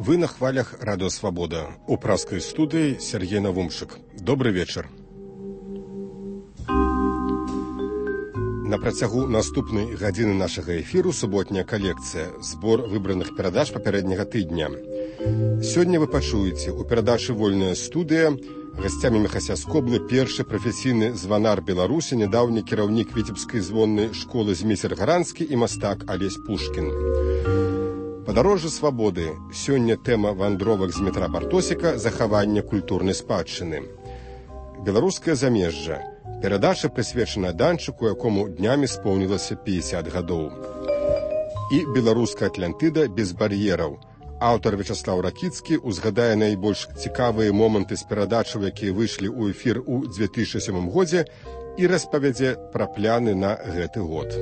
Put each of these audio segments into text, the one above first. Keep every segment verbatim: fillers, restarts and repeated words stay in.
Вы на хвалях Радио Свобода. У праской студии Сергей Навумшик. Добрый вечер. На працягу наступнай гадзіны нашага эфіру суботняя калекцыя, збор выбраных перадач папярэдняга тыдня. Сёння вы пачуеце у перадачы «Вольная студыя» гасцямі Міхася Скоблы першы прафесійны званар Беларусі, нядаўні кіраўнік Віцебскай звоннай школы Зміцер Гаранскі і мастак Алесь Пушкін. Падарожжа свабоды. Сёння тэма вандровак з метра Бартосіка захавання культурнай спадчыны. Беларускае замежжа. Перадача прысвечана данчыку, якому днямі споўнілася пятьдесят гадоў. І беларуская Атлантыда без бар'ераў. Аўтар Вячаслаў Ракіцкі узгадае найбольш цікавыя моманты з перадачаў, якія выйшлі ў эфір у две тысячи сёмым годзе, і распавядзе пра пляны на гэты год.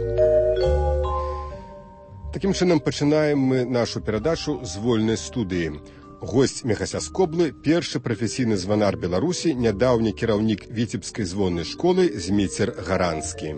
Такім чынам пачынаем мы нашу перадачу з вольнай студыі. Госць Міхася Скоблы, першы прафесійны званар Беларусі, нядаўні кіраўнік Віцебскай звоннай школы Зміцер Гаранскі.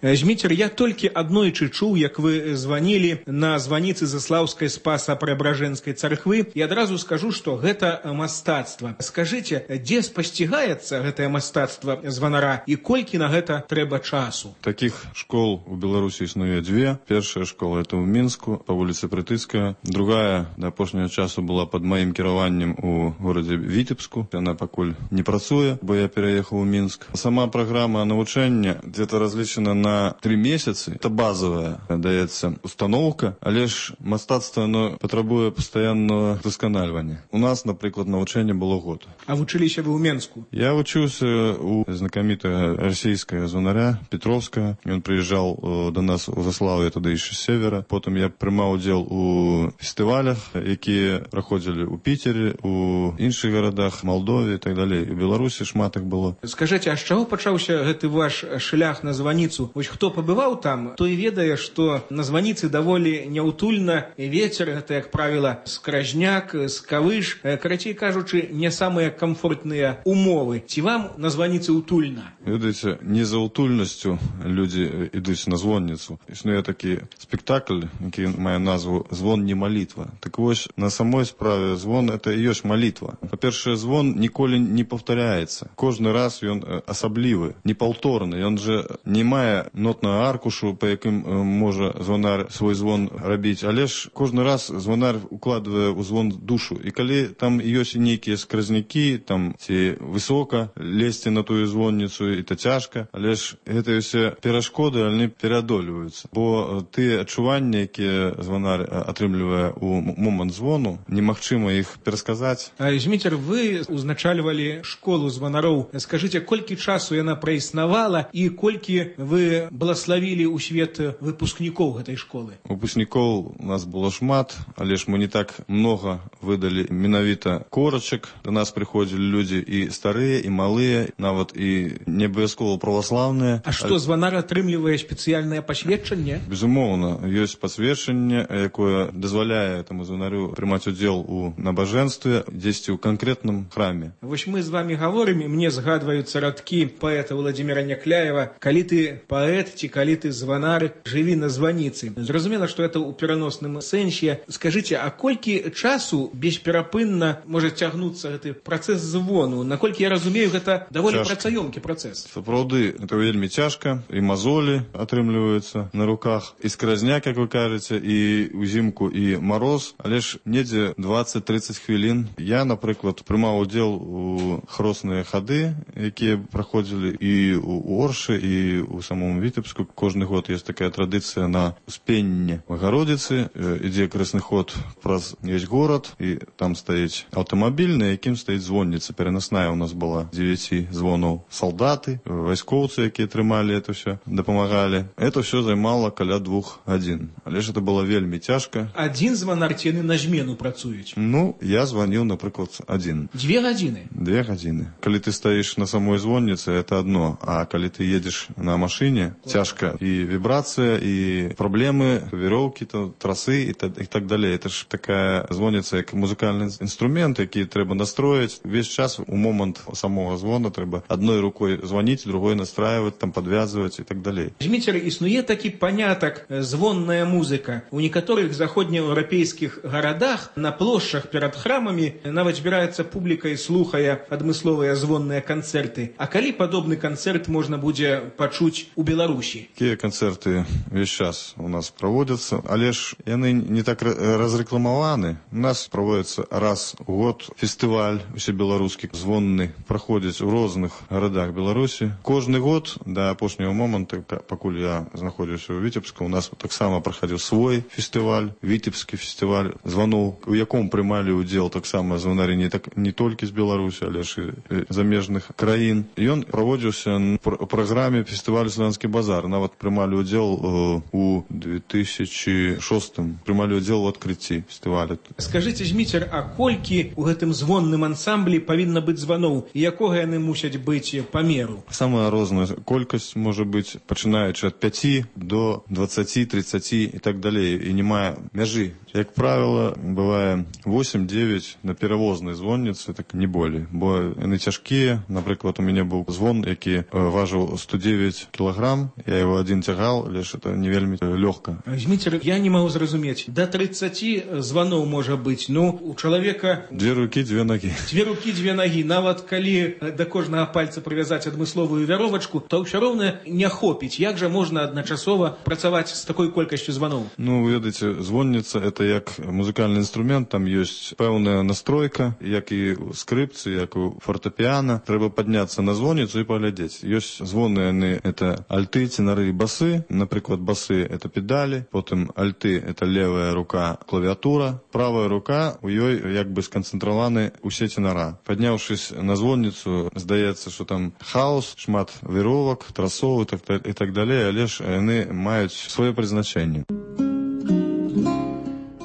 Зміцер, я толькі аднойчы чуў, як вы званілі на званіцы Заслаўскай Спаса-Преабражэнскай царквы, і адразу скажу, што гэта мастацтва. Скажыце, дзе спасцігаецца гэтае мастацтва званара і колькі на гэта трэба часу? Такіх школ у Беларусі існуе дзве. Першая школа это ў Мінску, па вуліцы Прытыцкая. Другая да апошняга часу была пад маім кіраваннем у горадзе Віцебску. Яна пакуль не працуе, бо я пераехаў у Мінск. Сама праграма навучання дзе-то разлічана на на три месяцы. Это базовая, даецца установка, але ж мастацтва оно патрабуе пастаянного досканальвання. У нас, напрыклад, навучанне было год. А вучыліся вы ў Менску? Я вучыўся у знакамітага расійскага званаря Петровскага. Ён прыязджаў до нас у Заслаўе, тады яшчэ з севера. Потым я прымаў удзел у фестывалях, якія праходзілі ў Піцері, у іншых гарадах, Малдове і так далей. У Беларусі шмат іх было. Скажыце, а з чаго пачаўся гэты ваш шлях на званіцу? Вось хто пабываў там, той ведае, што на званіцы даволі няўтульна, і вецер гэта, як правіла, скражняк, скавыш, карацей кажучы, не самыя камфортныя умовы. Ці вам на званіцы ўтульна? Ведаеце, не за ўтульнасцю людзі ідуць на звонніцу. Існуе такі спектакль, які мае назву «Звон не малітва». Так вось, на самой справе звон это і ёсць малітва. Па-першае, звон ніколі не паўтаряецца. Кожны раз ён асаблівы, непаўторны. Ён жа не мае нотную аркушу, па якым можа звонар свой звон рабіць, але ж кожны раз звонар укладвае ў звон душу. І калі там ёсць нейкія скразнякі, там ці высока лезці на тую звонніцу, і то цяжка, але ж гэтыя ўсе перашкоды, яны пераадольваюцца. Бо тыя адчуванні, якія звонар атрымлівае ў момант звону, немагчыма іх перасказаць. Зміцер, вы узначальвалі школу звонароў. Скажыце, колькі часу яна праіснавала і колькі вы благословили у свет выпускнікоў гэтай школы? Выпускнікоў у нас было шмат, але ж мы не так много выдалі менавіта корачак. До нас прыходзілі людзі і старыя, і малыя, нават і не абавязкова праваслаўныя. А што, званар атрымлівае спецыяльнае пасведчанне? Безумоўна, ёсць пасведчанне, якое дазваляе таму званарю прымаць удзел у набажэнстве дзесьці ў канкрэтным храме. Вось мы з вами гаворым, і мне згадваюцца радкі паэта Владзіміра Някляева: калі ты паэт, ці калі ты званар, жыві на званіцы. Зразумела, што это ў пераносным сэнсе. Скажыце, а колькі часу бесперапынна можа цягнуцца гэты працэс звону? Наколькі я разумею, гэта даволі працаёмкі працэс. Сапраўды, это вельмі цяжка, і мазолі атрымліваюцца на руках, і скразняк, як вы кажаце, і ўзімку, і мароз, але ж недзе дваццаць-трыццаць хвілін. Я, напрыклад, прымаў удзел у хросныя хады, якія праходзілі і ў Оршы, і у самому Віцебску. Кожны год есть такая традыцыя на Успенне Богородицы. Ідзе красны ход праз весь горад, і там стаіць аўтамабіль, на якім стаіць звонніца. Пераносная у нас была дзевяці звонаў. Салдаты, вайскоўцы, якія трымалі это все, дапамагалі. Это все займала каля двух гадзін. Але ж это было вельмі цяжка. Адзін званар ці яны на змену працуюць? Ну, я званіў, напрыклад, адзін. Две гадзіны? Две гадзіны. Калі ты стаіш на самой звонніцы, это одно, а калі ты едзеш на машине, звоне цяжка і вібрацыя, і праблемы, вероўкі, трасы і так, і так далей. Это ж такая звоніца, як музыкальны інструмент, які трэба настроіць. Весь час у момант самого звона трэба адной рукой звоніць, другой настраивать, там подвязывать і так далей. Зміцер, існуе такі панятак звонная музыка. У некаторых заходнееўрапейскіх гарадах на плошчах перад храмамі нават збіраецца публіка і слухае адмысловыя звонныя канцэрты. А калі падобны канцэрт можна будзе пачуць у Беларусі? Такія канцэрты весь час у нас праводзяцца, але ж яны не так разрэкламаваны. У нас праводзіцца раз у год фестываль усебеларускі звонны, праходзіць у розных гарадах Беларусі. Кожны год да апошняга моманту, пакуль я знаходзіўся ў Віцебску, у нас таксама праходзіў свой фестываль, Віцебскі фестываль званоў, у яком прымалі ўдзел таксама звонары не, так, не толькі з Беларусі, але ж і замежных краін. Ён праводзіўся ў праграме фестывалю «Славянскі базар». Нават прымалі ўдзел у две тысячи шостым, прымалі ўдзел у адкрыцці фестываля. Скажыце, Зміцер, а колькі у гэтым звонным ансамблі павінна быць званоў і якога яны мусяць быць памеру? Самая розная колькасць можа быць, пачынаючы ад пяці до дваццаці, трыццаці і так далей, і не мае мяжы. Як правіла, бывае восемь-девять на перавознай звонніцы, так не болей, бо яны цяжкія. Напрыклад, у мяне быў звон, які важыў сто девять кілаграм, я его один цягал, але ж это не вельмі лёгка. Зміцер, я не магу зразумець, да трыццаці званоў можа быць, ну, у чалавека... Две рукі, две нагі. Две рукі, две нагі. Нават калі да кожнага пальца прывязаць адмысловую вяровачку, то ўсё роўна не хопіць. Як жа можна адначасова працаваць з такой колькасцю званоў? Ну, ведаеце, звонніца — это як музыкальны інструмент, там ёсць пэўная настройка, як і ў скрыпцы, як у фортэпіана. Трэба падняцца на звонніцу і паглядзець. Ёсць звоны, яны — это альты, тенары і басы. Напрыклад, басы — это педалі, потым альты — это левая рука, клавіатура, правая рука, у ёй як бы сканцэнтраваны усе тенара. Падняўшись на звонніцу, здаецца, што там хаос, шмат веровак, трасоў і так далей, але ж яны маюць сваё прызначэнне.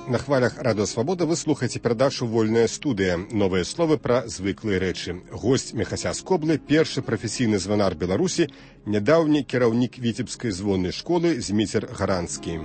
На хвалях Радыё Свабода вы слухаеце перадачу «Вольная студыя». Новыя словы пра звыклыя рэчы. Госць Мехася з Коблы, першы прафесійны званар Беларусі, нядаўні кіраўнік Віцебскай звоннай школы Зміцер Гаранскі.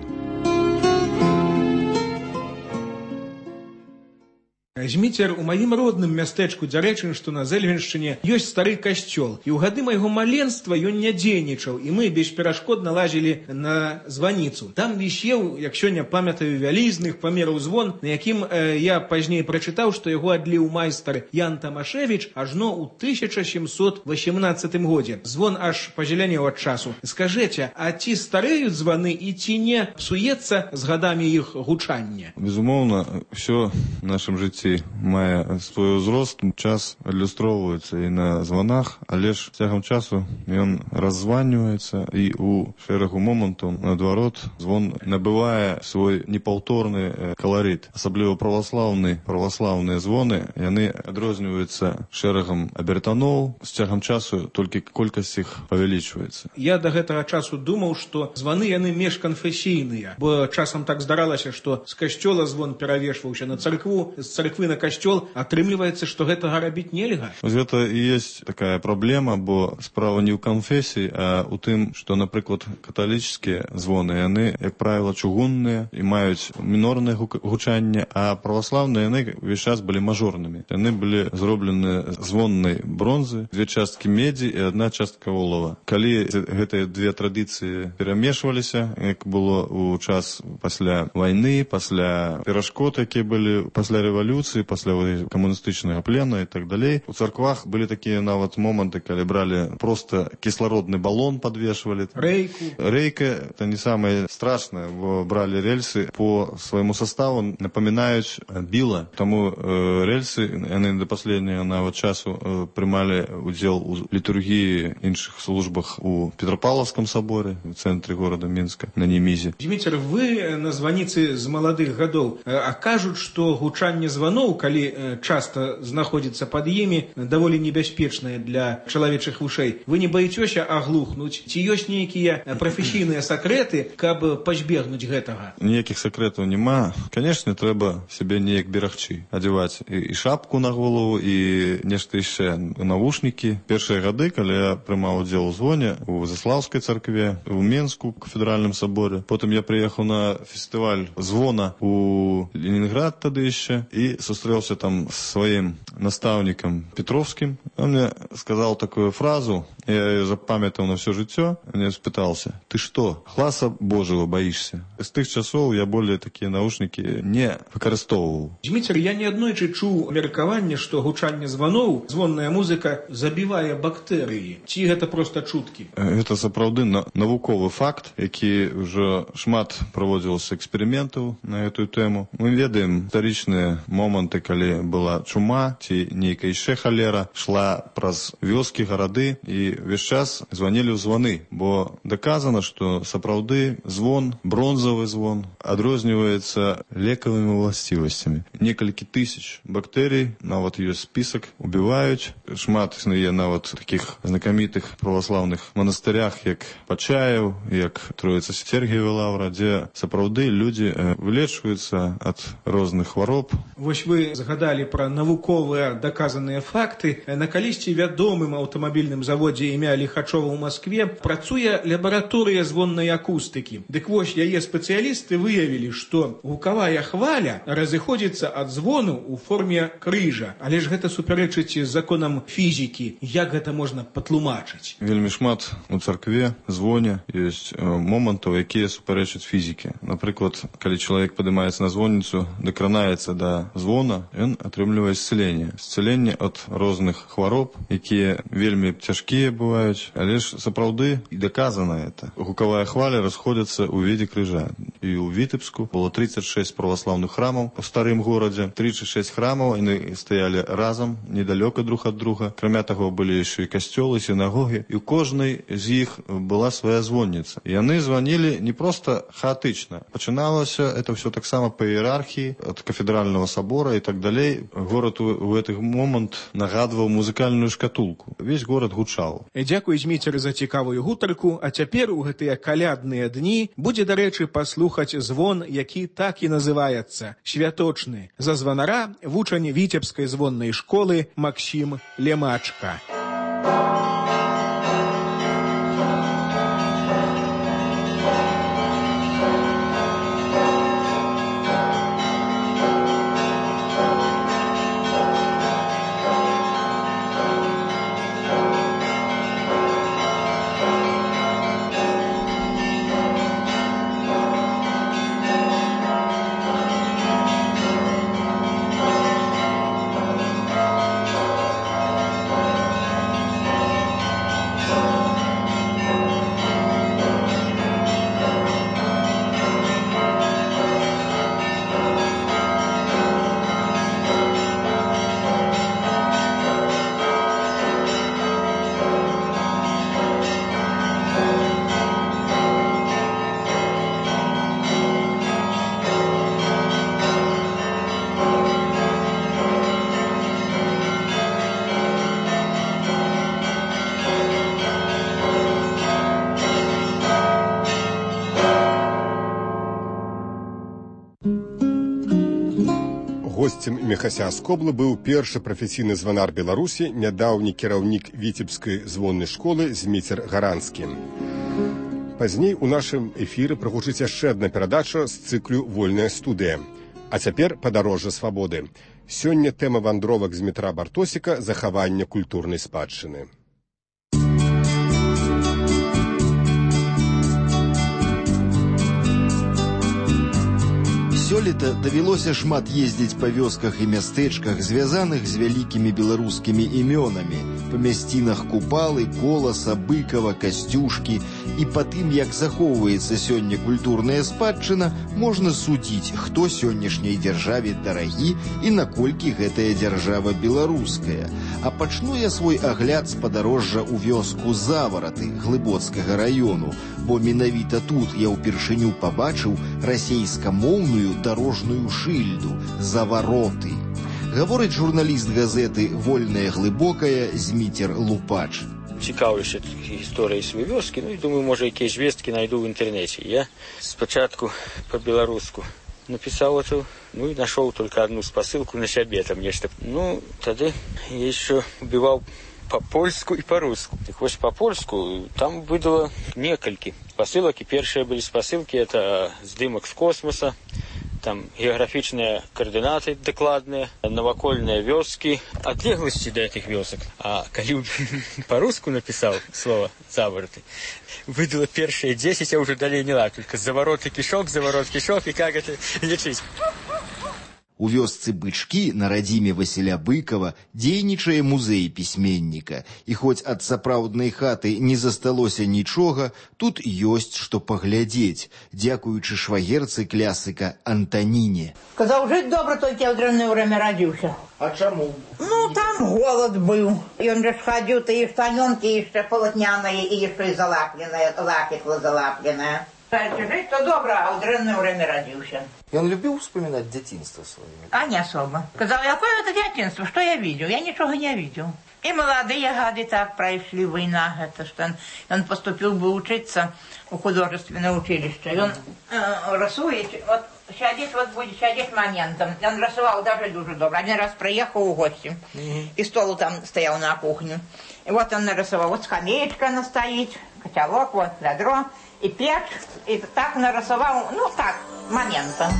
Зміцер, у маім родным мястэчку Дзярэчын, што на Зэльвеншчыне, ёсць стары касцёл. І ў гады майго маленства ён не дзейнічаў, і мы бесперашкодна лазілі на званіцу. Там вісеў, як сёння памятаю, вялізных памераў звон, на якім э, я пазней прачытаў, што яго адліў майстар Ян Тамашевіч ажно ў тысяча сямсот васемнаццатым годзе. Звон аж пазелянеў ад часу. Скажэце, а ці стареюць званы і ці не псуецца з гадамі іх гучанне? Безумоўна, ўсё в нашым жыцці мае свой узрост, час адлюстроўваецца і на званах, але ж цягам часу ён раззваньваецца і ў шэрагу момантаў, наадварот, звон набывае свой непаўторны каларыт. Асабліва праваслаўны, праваслаўныя звоны, яны адрозніваюцца шэрагам абертаноў, з цягам часу толькі колькасць іх павялічваецца. Я да гэтага часу думаў, што званы яны межканфесійныя, бо часам так здаралася, што з касцёла звон перавешваўся на царкву, з царквы на касцёл, атрымліваецца, што гэтага рабіць нельга. Гэта і ёсць такая праблема, бо справа не ў канфесіі, а ў тым, што, напрыклад, каталіцкія звоны, яны, як правіла, чугунныя і маюць мінорнае гучанне, а праваслаўныя яны ўвесь час былі мажорнымі. Яны былі зроблены звоннай бронзы, две часткі медзі і адна частка олава. Калі гэтыя две традыцыі перамешваліся, як было ў час пасля вайны, пасля перашкод, якія былі пасля рэвалюцыі, пасля камуністычнага плена і так далей. У царквах былі такія нават моманты, калі бралі проста кіслародны балон, падвешвалі. Рэйку. Рэйка — это не самае страшнае, бо бралі рельсы по свайму составу, напамінаюць біла. Таму э, рельсы, яны да паследняга нават часу э, прымалі удзел у літургіі іншых службах у Петропавловском соборе, в цэнтры горада Мінска, на Немізе. Зміцер, вы на званіцы з маладых гадоў, а кажуць, што гучанне званоў званоў, калі часта знаходзіцца пад імі, даволі небяспечнае для чалавечых вушэй. Вы не баіцёся аглухнуць? Ці ёсць нейкія прафесійныя сакрэты, каб пазбегнуць гэтага? Ніякіх сакрэтаў няма. Канешне, трэба сябе неяк берагчы. Адзяваць і, і шапку на голову, і нешта яшчэ, навушнікі. Першыя гады, калі я прымаў удзел у звоне у Заслаўскай царкве, у Менску, у кафедральным саборе. Потым я прыехаў на фестываль звона у Ленинград тады яшчэ і сустрэўся там з сваім настаўнікам Петровскім. Он мне сказал такую фразу, я ее запамятаў на все жыццё. Мне спытался: ты что, гласа Божьего боишься? З тых часоў я более такія наушнікі не выкарыстоўваў. Дзміцер, я неаднойчы чуў меркаванне, што гучанне званоў, звонная музыка забівае бактэрыі. Ці гэта проста чуткі? Гэта сапраўды навуковы факт, які ўжо шмат праводзілася эксперыментаў на гэтую тэму. Мы ведаем гістарычныя моманты, калі была чума ці нейкая яшчэ халера, шла праз вёскі, гарады, і ўвесь час званілі ў званы, бо даказана, што сапраўды звон, бронзавы звон, адрозніваецца лекавымі ўласцівасцямі. Некалькі тысяч бактэрый, нават ёсць спісак, убіваюць. Шмат існуе нават такіх знакамітых праваслаўных манастырях, як Пачаеў, як Троіца Сергіева лаўра, дзе сапраўды людзі вылечваюцца ад розных хвароб. Вось вы згадалі пра навуковыя даказаныя факты. На калісьці вядомым аўтамабільным заводзе імя Ліхачова ў Маскве працуе лабараторыя звоннай акустыкі. Дык вось яе спецыялісты выявілі, што гукавая хваля разыходзіцца ад звону ў форме крыжа. Але ж гэта супярэчыць законам фізікі. Як гэта можна патлумачыць? Вельмі шмат у царкве, звоне ёсць момантаў, якія супярэчаць фізікі. Напрыклад, калі чалавек падымаецца на звонніцу, дакранаецца да звона, ён атрымлівае исцеленне. Исцеленне ад розных хвароб, якія вельмі цяжкія бываюць, але ж сапраўды і даказана это. Гукавая хваля расходзіцца ў виде крыжа. І ў Вітэбску было тридцать шесть праваслаўных храмаў у старым горадзе. тридцать шесть храмаў, яны стаялі разам, недалёка друг ад друга. Акрамя таго, былі яшчэ і касцёлы, сінагогі, і ў кожнай з іх была свая звонніца. І яны званілі не проста хаатычна. Пачыналася это все таксама па іерархіі, ад кафедральнага сабора і так далей. Горад у, у гэты момант нагадваў музыкальную шкатулку. Весь горад гучаў. Дзякуй, Дзміцер, за цікавую гутарку. А цяпер у гэтыя калядныя дні будзе, дарэчы, паслухаць звон, які так і называецца — святочны. За званара вучань Віцебскай звоннай школы Максім Лемачка. Госцем Міхася Скоблы быў першы прафесійны званар Беларусі, нядаўні кіраўнік Віцебскай звоннай школы Дзміцер Гаранскі. Пазней у нашым эфіры прагучыць яшчэ адна перадача з цыклю «Вольная студыя». А цяпер падарожжа свабоды. Сёння тэма вандровак з метра Бартосіка — захавання культурнай спадчыны. Сёлета давялося шмат ездзіць па вёсках і мястэчках, звязаных з вялікімі беларускімі імёнамі, па мясцінах Купалы, Коласа, Быкава, Касцюшкі. І па тым, як захоўваецца сёння культурная спадчына, можна судзіць, хто сённяшняй дзяржаве дарагі і наколькі гэтая дзяржава беларуская. А пачну я свой агляд з падарожжа ў вёску Завараты Глыбоцкага раёну, бо менавіта тут я ўпершыню пабачыў расейскамоўную дарожную шыльду «Завароты». Гаворыць журналіст газеты «Вольная глыбокая» Зміцер Лупач. Цікаўлюся гісторыяй сваёй вёскі, ну і думаю, можа, якія звесткі найду ў інтэрнэце. Я спачатку па-беларуску написал эту, ну и нашел только одну спосылку на себе там нечто. Ну, тогда я еще убивал по-польску и по-русски. Так вот, по-польску там выдало несколько посылок, и первые были спосылки, это здымок с космоса, там географичные координаты докладные, новокольные вёски, отлеглости до этих вёсок. А когда по-русски написал слово «завороты», выдало первые десять, я уже далее не ладно, только «заворот и кишок», «заворот кишок» и как это лечить. У вёсцы Бычкі на радзіме Васіля Быкова дзейнічае музей пісьменніка. І хоць ад сапраўднай хаты не засталося нічога, тут ёсць што паглядзець, дзякуючы швагерцы клясыка Антаніне. Казаў, жыць добра, толькі ў дрэннае время радзіўся. А чаму? Ну, там голод быў. Ён жа схадзіў тыя штанёнкі яшчэ палатняныя і яшчэ і залапленыя, лапіхла залапленая. Жить то добро, а в дрянное время родился. И он любил вспоминать детинство свое? А не особо. Сказал, какое это детинство, что я видел? Я ничего не видел. И молодые гады так прошли, война. Это что он, он поступил бы учиться в художественное училище. И он э, рисует, вот сядет, вот будет сядет моментом. Он рисовал даже дуже добро. Один раз приехал в гости, mm-hmm. и стол там стоял на кухне. И вот он нарисовал, вот скамеечка она стоит, котелок, вот ведро. И печь, и так нарисовал, ну так, моментом.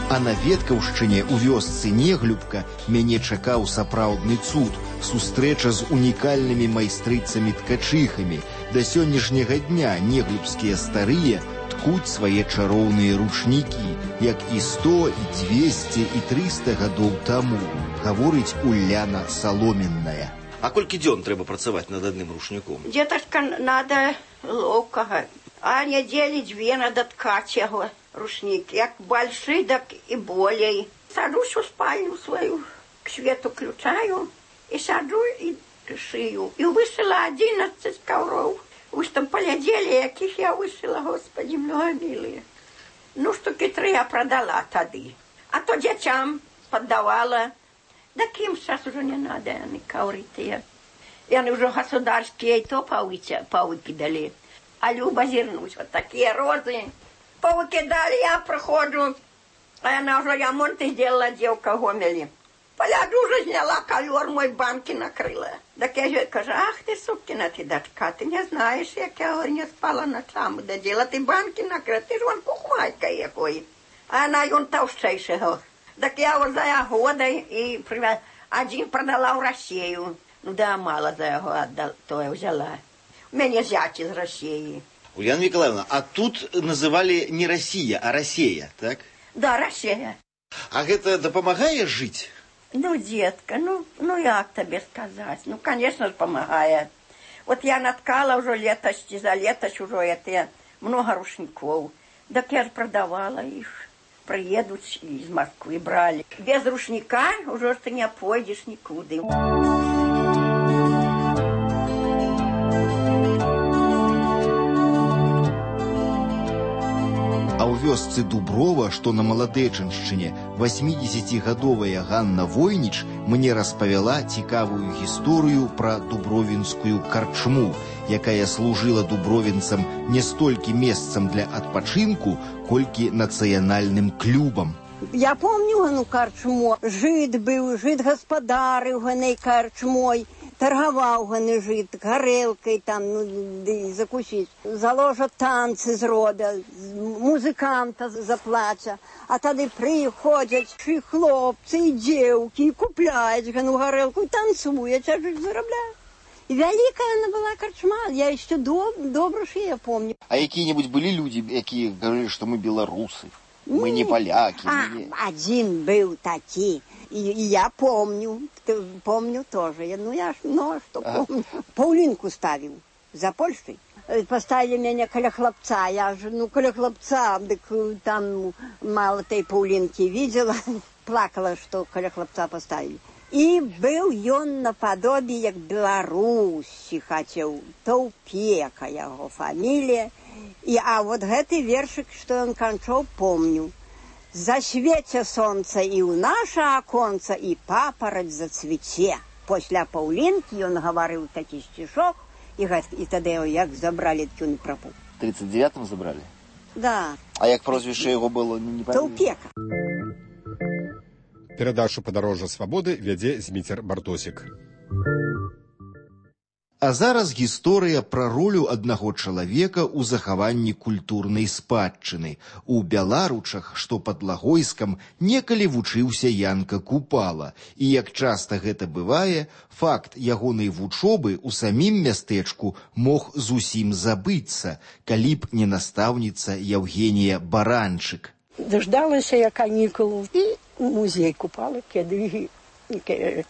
А на Веткаўшчыне у вёсцы Неглюбка мяне чакаў сапраўдны цуд, сустрэча з унікальнымі майстрыцамі-ткачыхамі. Да сённяшняга дня неглюбскія старыя ткуць свае чароўныя ручнікі, як і сто, і дзвесце, і трыста гадоў таму, гаворыць Уляна Саломенная. А колькі дзён трэба працаваць над адным рушніком? Деточка, надо ловкага, а недели две надо ткать его рушник. Як большой, так и более. Сажусь в спальню свою, к свету включаю, и саджу, и шию. И вышила одиннадцать ковров. Вы что, поглядели, яких я вышила, Господи, многомилые. Ну, штуки три я продала тады. А то детям поддавала. Да кем сейчас уже не надо, они ковры-то. И они уже государские, и то повыкидали. А Люба зернусь, вот такие розы. Повыкидали, я проходжу. А она уже ямонты сделала, девка Гомели. Поляду уже сняла ковер, мой банки накрыла. Так я же кажу, ах ты, сукина ты дочка, ты не знаешь, як я говорю, не спала ночами. Да дела ты банки накрыла, ты же вон кухмайка якой. А она он толстейшего. Так я вот за года и один продала в Россию. Ну да, мало за его отдал, то я взяла. У меня зять из России. Ульяна Николаевна, а тут называли не Россия, а Россия, так? Да, Россия. А это допомагает жить? Ну, детка, ну, ну як тебе сказать? Ну, конечно же, помогает. Вот я наткала уже летость, за летость уже это много рушников. Так я же продавала их. Приедут из Москвы, брали. Без рушника уже ты не пойдешь никуда. А ў вёсцы Дуброва, што на Маладэчыншчыне, васьмідзесяцігадовая Ганна Войніч мне распавяла цікавую гісторыю пра дубровінскую карчму, якая служыла дубровінцам не столькі месцам для адпачынку, колькі нацыянальным клубам. Я помню гану карчму. Жид быў, жид гаспадарыў ганай карчмой. Торговал ганы жид, горелкой там, ну, ды, закусить. Заложат танцы з рода, музыканта заплача. А тады приходят и хлопцы, и девки, и купляют гану горелку, и танцуют, а жид зарабляют. И великая она была карчма, я еще доб, добро, что я помню. А какие-нибудь были люди, которые говорили, что мы белорусы? Мы не поляки. А, мы не... Один был такой, и, и я помню, помню тоже. Ну, я ж много что а? помню. Паулинку ставил за Польшей. Поставили меня коля хлопца. Я же, ну, коля хлопца, так там мало той Паулинки видела. Плакала, что коля хлопца поставили. І быў ён нападобе, як Беларусі хацеў, Таўпека яго фамілія. І, а вот гэты вершык, што ён канчаў, помню. Засвеце сонца і ў наша аконца, і папараць зацвіце. Пасля Паўлінкі ён гаварыў такі сцішок, і, і тады як забралі, так ён прапуў. В тридцать девятом забрали? Да. А як прозвище його було, не пам'ятаю? Таўпека. Перадачу «Падарожжа свабоды» вядзе Зміцер Бартосік. А зараз гісторыя пра ролю аднаго чалавека ў захаванні культурнай спадчыны. У Бяларучах, што пад Лагойскам, некалі вучыўся Янка Купала. І, як часта гэта бывае, факт ягонай вучобы ў самім мястэчку мог зусім забыцца, калі б не настаўніца Евгенія Баранчык. Дождалася я канікулу і ў музей Купала, кеды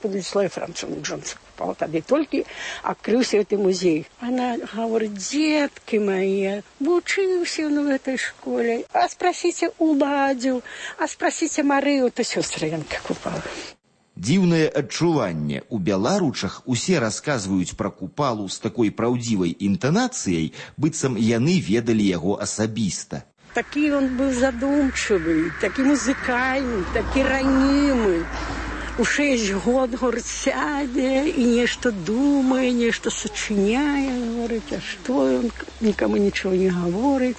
Кудліслава Францовна Джонса Купала. Тады толькі адкрыўся гэты музей. Она говорит: детки мои, вучыўся он в этой школе, а спросите Уладзю, а спросите Марыю, то сёстры Янка Купала. Дзіўнае адчуванне. У Бяларучах усе расказваюць пра Купалу з такой праўдзівай інтанацыяй, быццам яны ведалі яго асабіста. Такі он быў задумчивый, такі музыкальны, такі ранімы. У шесть год, говорит, сядзе і нешта думае, нешта сачыняе, говорит, а што ён нікому нічого не говорить.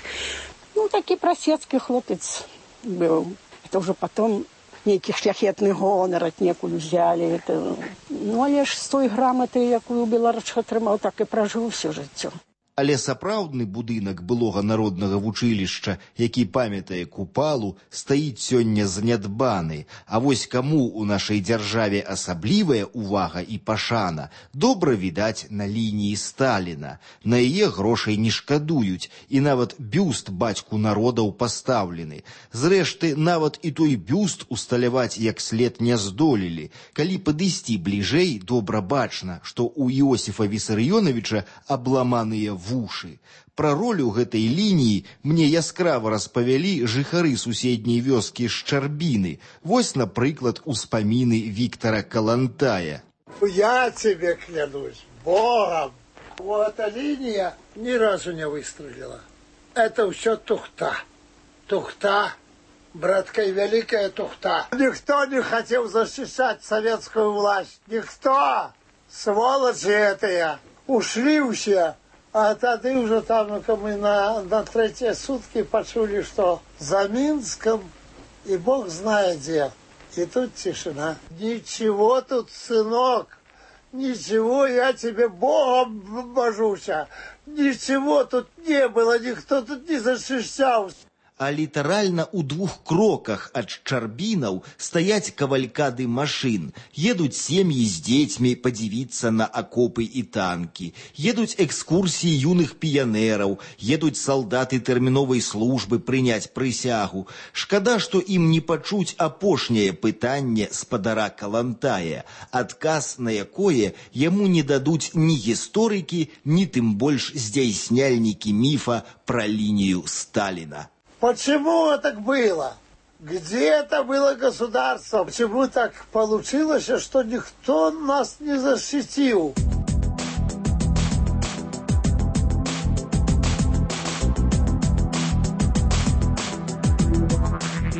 Ну, такі прасецкі хлопец быў. Это уже потом нейкі шляхетны гонар аднекуль узялі. Это... Ну, але ж з той граматы, якую ў Беларусах атрымаў, так і пражыў усё жыццё. Але сапраўдны будынак былога народнага вучылішча, які памятае Купалу, стаіць сёння занядбаны. А вось каму ў нашай дзяржаве асаблівая ўвага і пашана, добра відаць на лініі Сталіна. На яе грошай не шкадуюць, і нават бюст бацьку народаў пастаўлены. Зрэшты, нават і той бюст усталяваць як след не здолелі. Калі падысці бліжэй, добра бачна, што ў Іосіфа Вісарыёнавіча абламаныя вушы. Пра ролю гэтай лініі мне яскрава распавялі жыхары суседняй вёскі Шчарбіны. Вось, напрыклад, успаміны Віктора Калантая. Я тебе клянусь Богом, вот эта линия ни разу не выстрелила. Это все тухта. Тухта, братка, и великая тухта. Никто не хотел защищать советскую власть. Никто. Сволочи этие. Ушли все. А тады уже там мы на, на третьи сутки почули, что за Минском и Бог знает где. И тут тишина. Ничего тут, сынок, ничего, я тебе Богом божуся. Ничего тут не было, никто тут не защищался. А літаральна ў двух кроках ад Шчарбінаў стаяць кавалькады машын. Едуць сем'і з дзецьмі падзівіцца на акопы і танкі. Едуць экскурсіі юных піянераў. Едуць салдаты тэрміновай службы прыняць прысягу. Шкада, што ім не пачуць апошняе пытанне спадара Калантая, адказ на якое яму не дадуць ні гісторыкі, ні тым больш здзяйсняльнікі міфа пра лінію Сталіна. Почему так было? Где это было государство? Почему так получилось, что никто нас не защитил?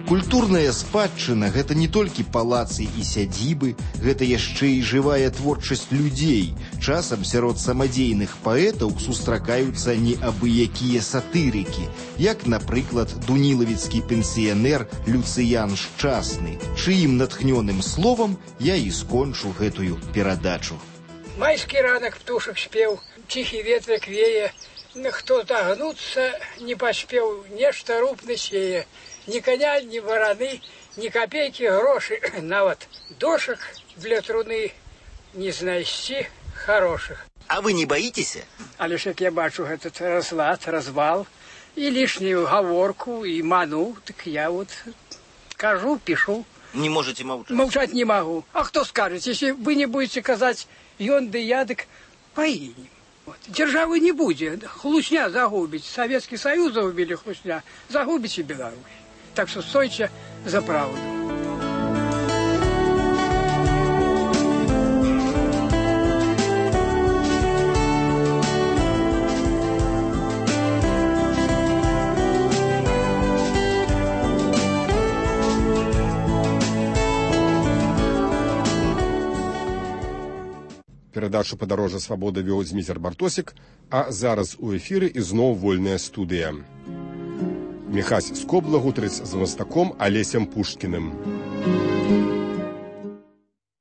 Культурная спадчына – гэта не толькі палацы і сядзібы, гэта яшчэ і жывая творчасць людзей. Часам сярод самадзейных паэтаў сустракаюцца неабыякія сатырыкі, як, напрыклад, дунілавіцкі пенсіянер Люцыян Шчасны, чыім натхнёным словам я і скончу гэтую перадачу. Майскі ранак птушак спеў, ціхі ветрык вее, хто тагнуцца не паспеў, нешта рупны сее. Ни коня, ни вороны, ни копейки гроши, нават дошек для труны не знайсці хороших. А вы не боитесь? А лишь як я бачу этот разлад, развал, и лишнюю говорку, и ману, так я вот кажу, пишу. Не можете молчать? Молчать не могу. А кто скажет, если вы не будете казать ён да ядык поинем? Вот. Державы не будет, хлусня загубить. Советский Союз загубили хлусня, загубите Беларусь. Так что стойте за правду. перадачу «Падарожжа свабоды» вёў Зміцер Бартосік, а зараз у эфіры ізноў вольная студыя. Міхась Скобла гутарыць з мастаком Алесем Пушкіным.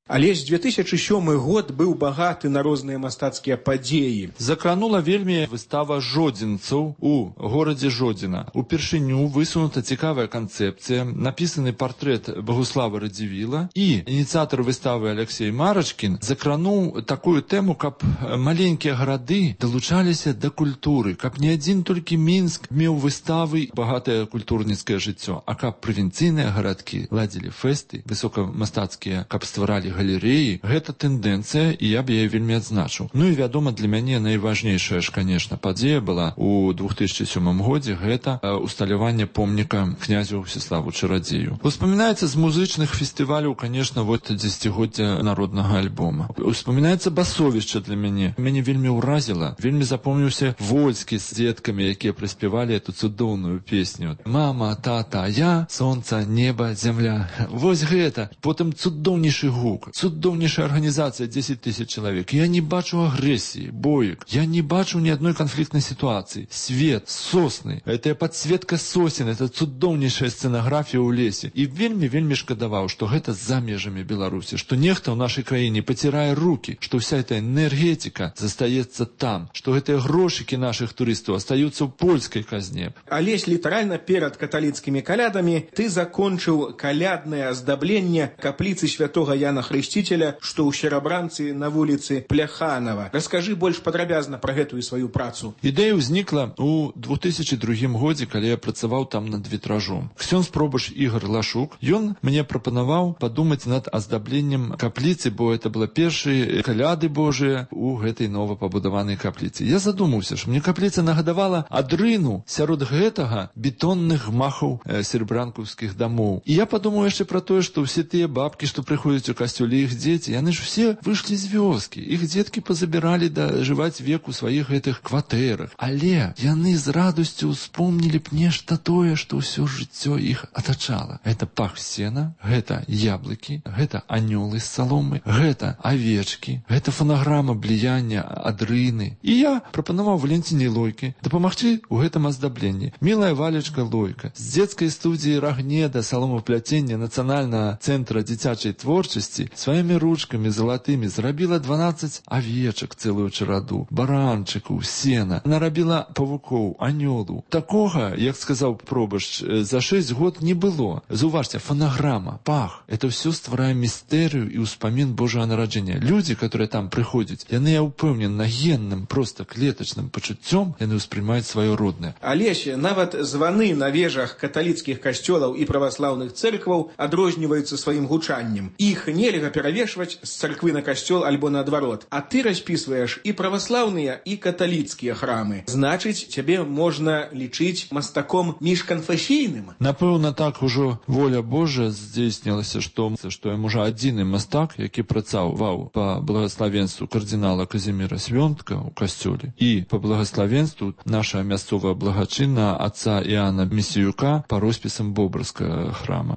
Алесь, две тысячи сёмы год быў багаты на розныя мастацкія падзеі. Закранула вельмі выстава жодзінцаў у горадзе Жодзіна. Упершыню высунута цікавая канцэпцыя, напісаны партрэт Багуслава Радзівіла, і ініцыятар выставы Алексей Марачкін закрануў такую тэму, каб маленькія гарады далучаліся да культуры, каб не адзін толькі Мінск меў выставы, багатае культурніцкае жыццё, а каб правінцыйныя гарадкі ладзілі фэсты высокамастацкія, каб стваралі галереі. Гэта тэндэнцыя, і я б яе вельмі адзначыў. Ну і вядома, для мяне найважнейшая ж, конечно, падзея была у две тысячи сёмым годзе, гэта усталяванне помніка князю Всеславу Чарадзею. Успамінаецца з музычных фестываляў, конечно, вот дзесяцігоддзя народнага альбома. Успамінаецца басовішча для мяне. Мяне вельмі ўразіла, вельмі запомніўся Вольскі з дзеткамі, якія прыспявалі эту цудоўную песню. Мама, тата, я, сонца, неба, зямля. Вось гэта. Потым цудоўнейшы гук. Цудоўнейшая арганізацыя, дзесяць тысяч чалавек. Я не бачу агрэсіі, боек. Я не бачу ні адной канфліктнай сітуацыі. Свет, сосны, это падсветка сосен, это цудоўнейшая сцэнаграфія ў лесе. І вельмі-вельмі шкадаваў, што гэта за межамі Беларусі, што нехта ў нашай краіне пацірае рукі, што вся эта энергетика застаецца там, што гэтыя грошыкі нашых турыстаў астаюцца ў польскай казне. Алесь, літаральна перад каталіцкімі калядамі ты закончыў каляднае аздабленне капліцы святога Яна Хрысціцеля, што ў Серабранцы на вуліцы Пляханова. Раскажы больш падрабязна пра гэтую сваю працу. Ідэя ўзнікла ў две тысячи другім годзе, калі я працаваў там над вітражом. Ксёндз пробаш Ігор Лашук, ён мне прапанаваў падумаць над аздабленнем капліцы, бо это была першыя каляды Божыя у гэтай новапабудаванай капліцы. Я задумаўся, што мне капліца нагадавала адрыну сярод гэтага бетонных гмахаў э, серабранкаўскіх дамоў. І я падумаў яшчэ пра тое, што ўсе тыя бабкі, што прыходзяць у касцёле, іх дзеці, яны ж все выйшлі з вёскі. Іх дзеткі пазабіралі дажываць век у сваіх гэтых кватэрах. Але яны з радасцю успомнілі б нешта тое, што ўсё жыццё іх атачала. Гэта пах сена, гэта яблыкі, гэта анёлы з саломы, гэта авечкі, гэта фанаграма бліяння адрыны. І я прапанаваў Валентине Лойке дапамагчы ў гэтым аздабленні. Мілая Валечка Лойка з дзецкай студыі Рагнеда саломапляцення Нацыянальнага цэнтра дзіцячай творчасці сваімі ручкамі залатымі зрабіла дванаццаць авечак, цэлую чараду, баранчыкаў, сена, нарабіла павукоў, анёлу. Такога, як сказаў пробашч, за шэсць год не было. Заўважце, фанаграма, пах. Это все стварае містэрыю і ўспамін Божага нараджэння. Людзі, которые там прыходзяць, яны, я ўпэўнен, генным, проста клетачным пачуццём, яны ўспрымаюць сваё роднае. Алесь, нават званы на вежах каталіцкіх касцёлаў і праваслаўных цэркваў адрозніваюцца сваім гучаннем. Іх нельга перавешваць з царквы на касцёл альбо наадварот. А ты распісваеш і праваслаўныя, і каталіцкія храмы. Значыць, цябе можна лічыць мастаком міжканфесійным? Напэўна, так ужо воля Божая здзейснілася, што, што я можа адзіны мастак, які працаваў па благаславенству кардынала Казіміра Свёнтка ў касцёле і па благаславенству наша мясцовая благачынна отца Іана Місіюка па роспісам Бобрскага храма.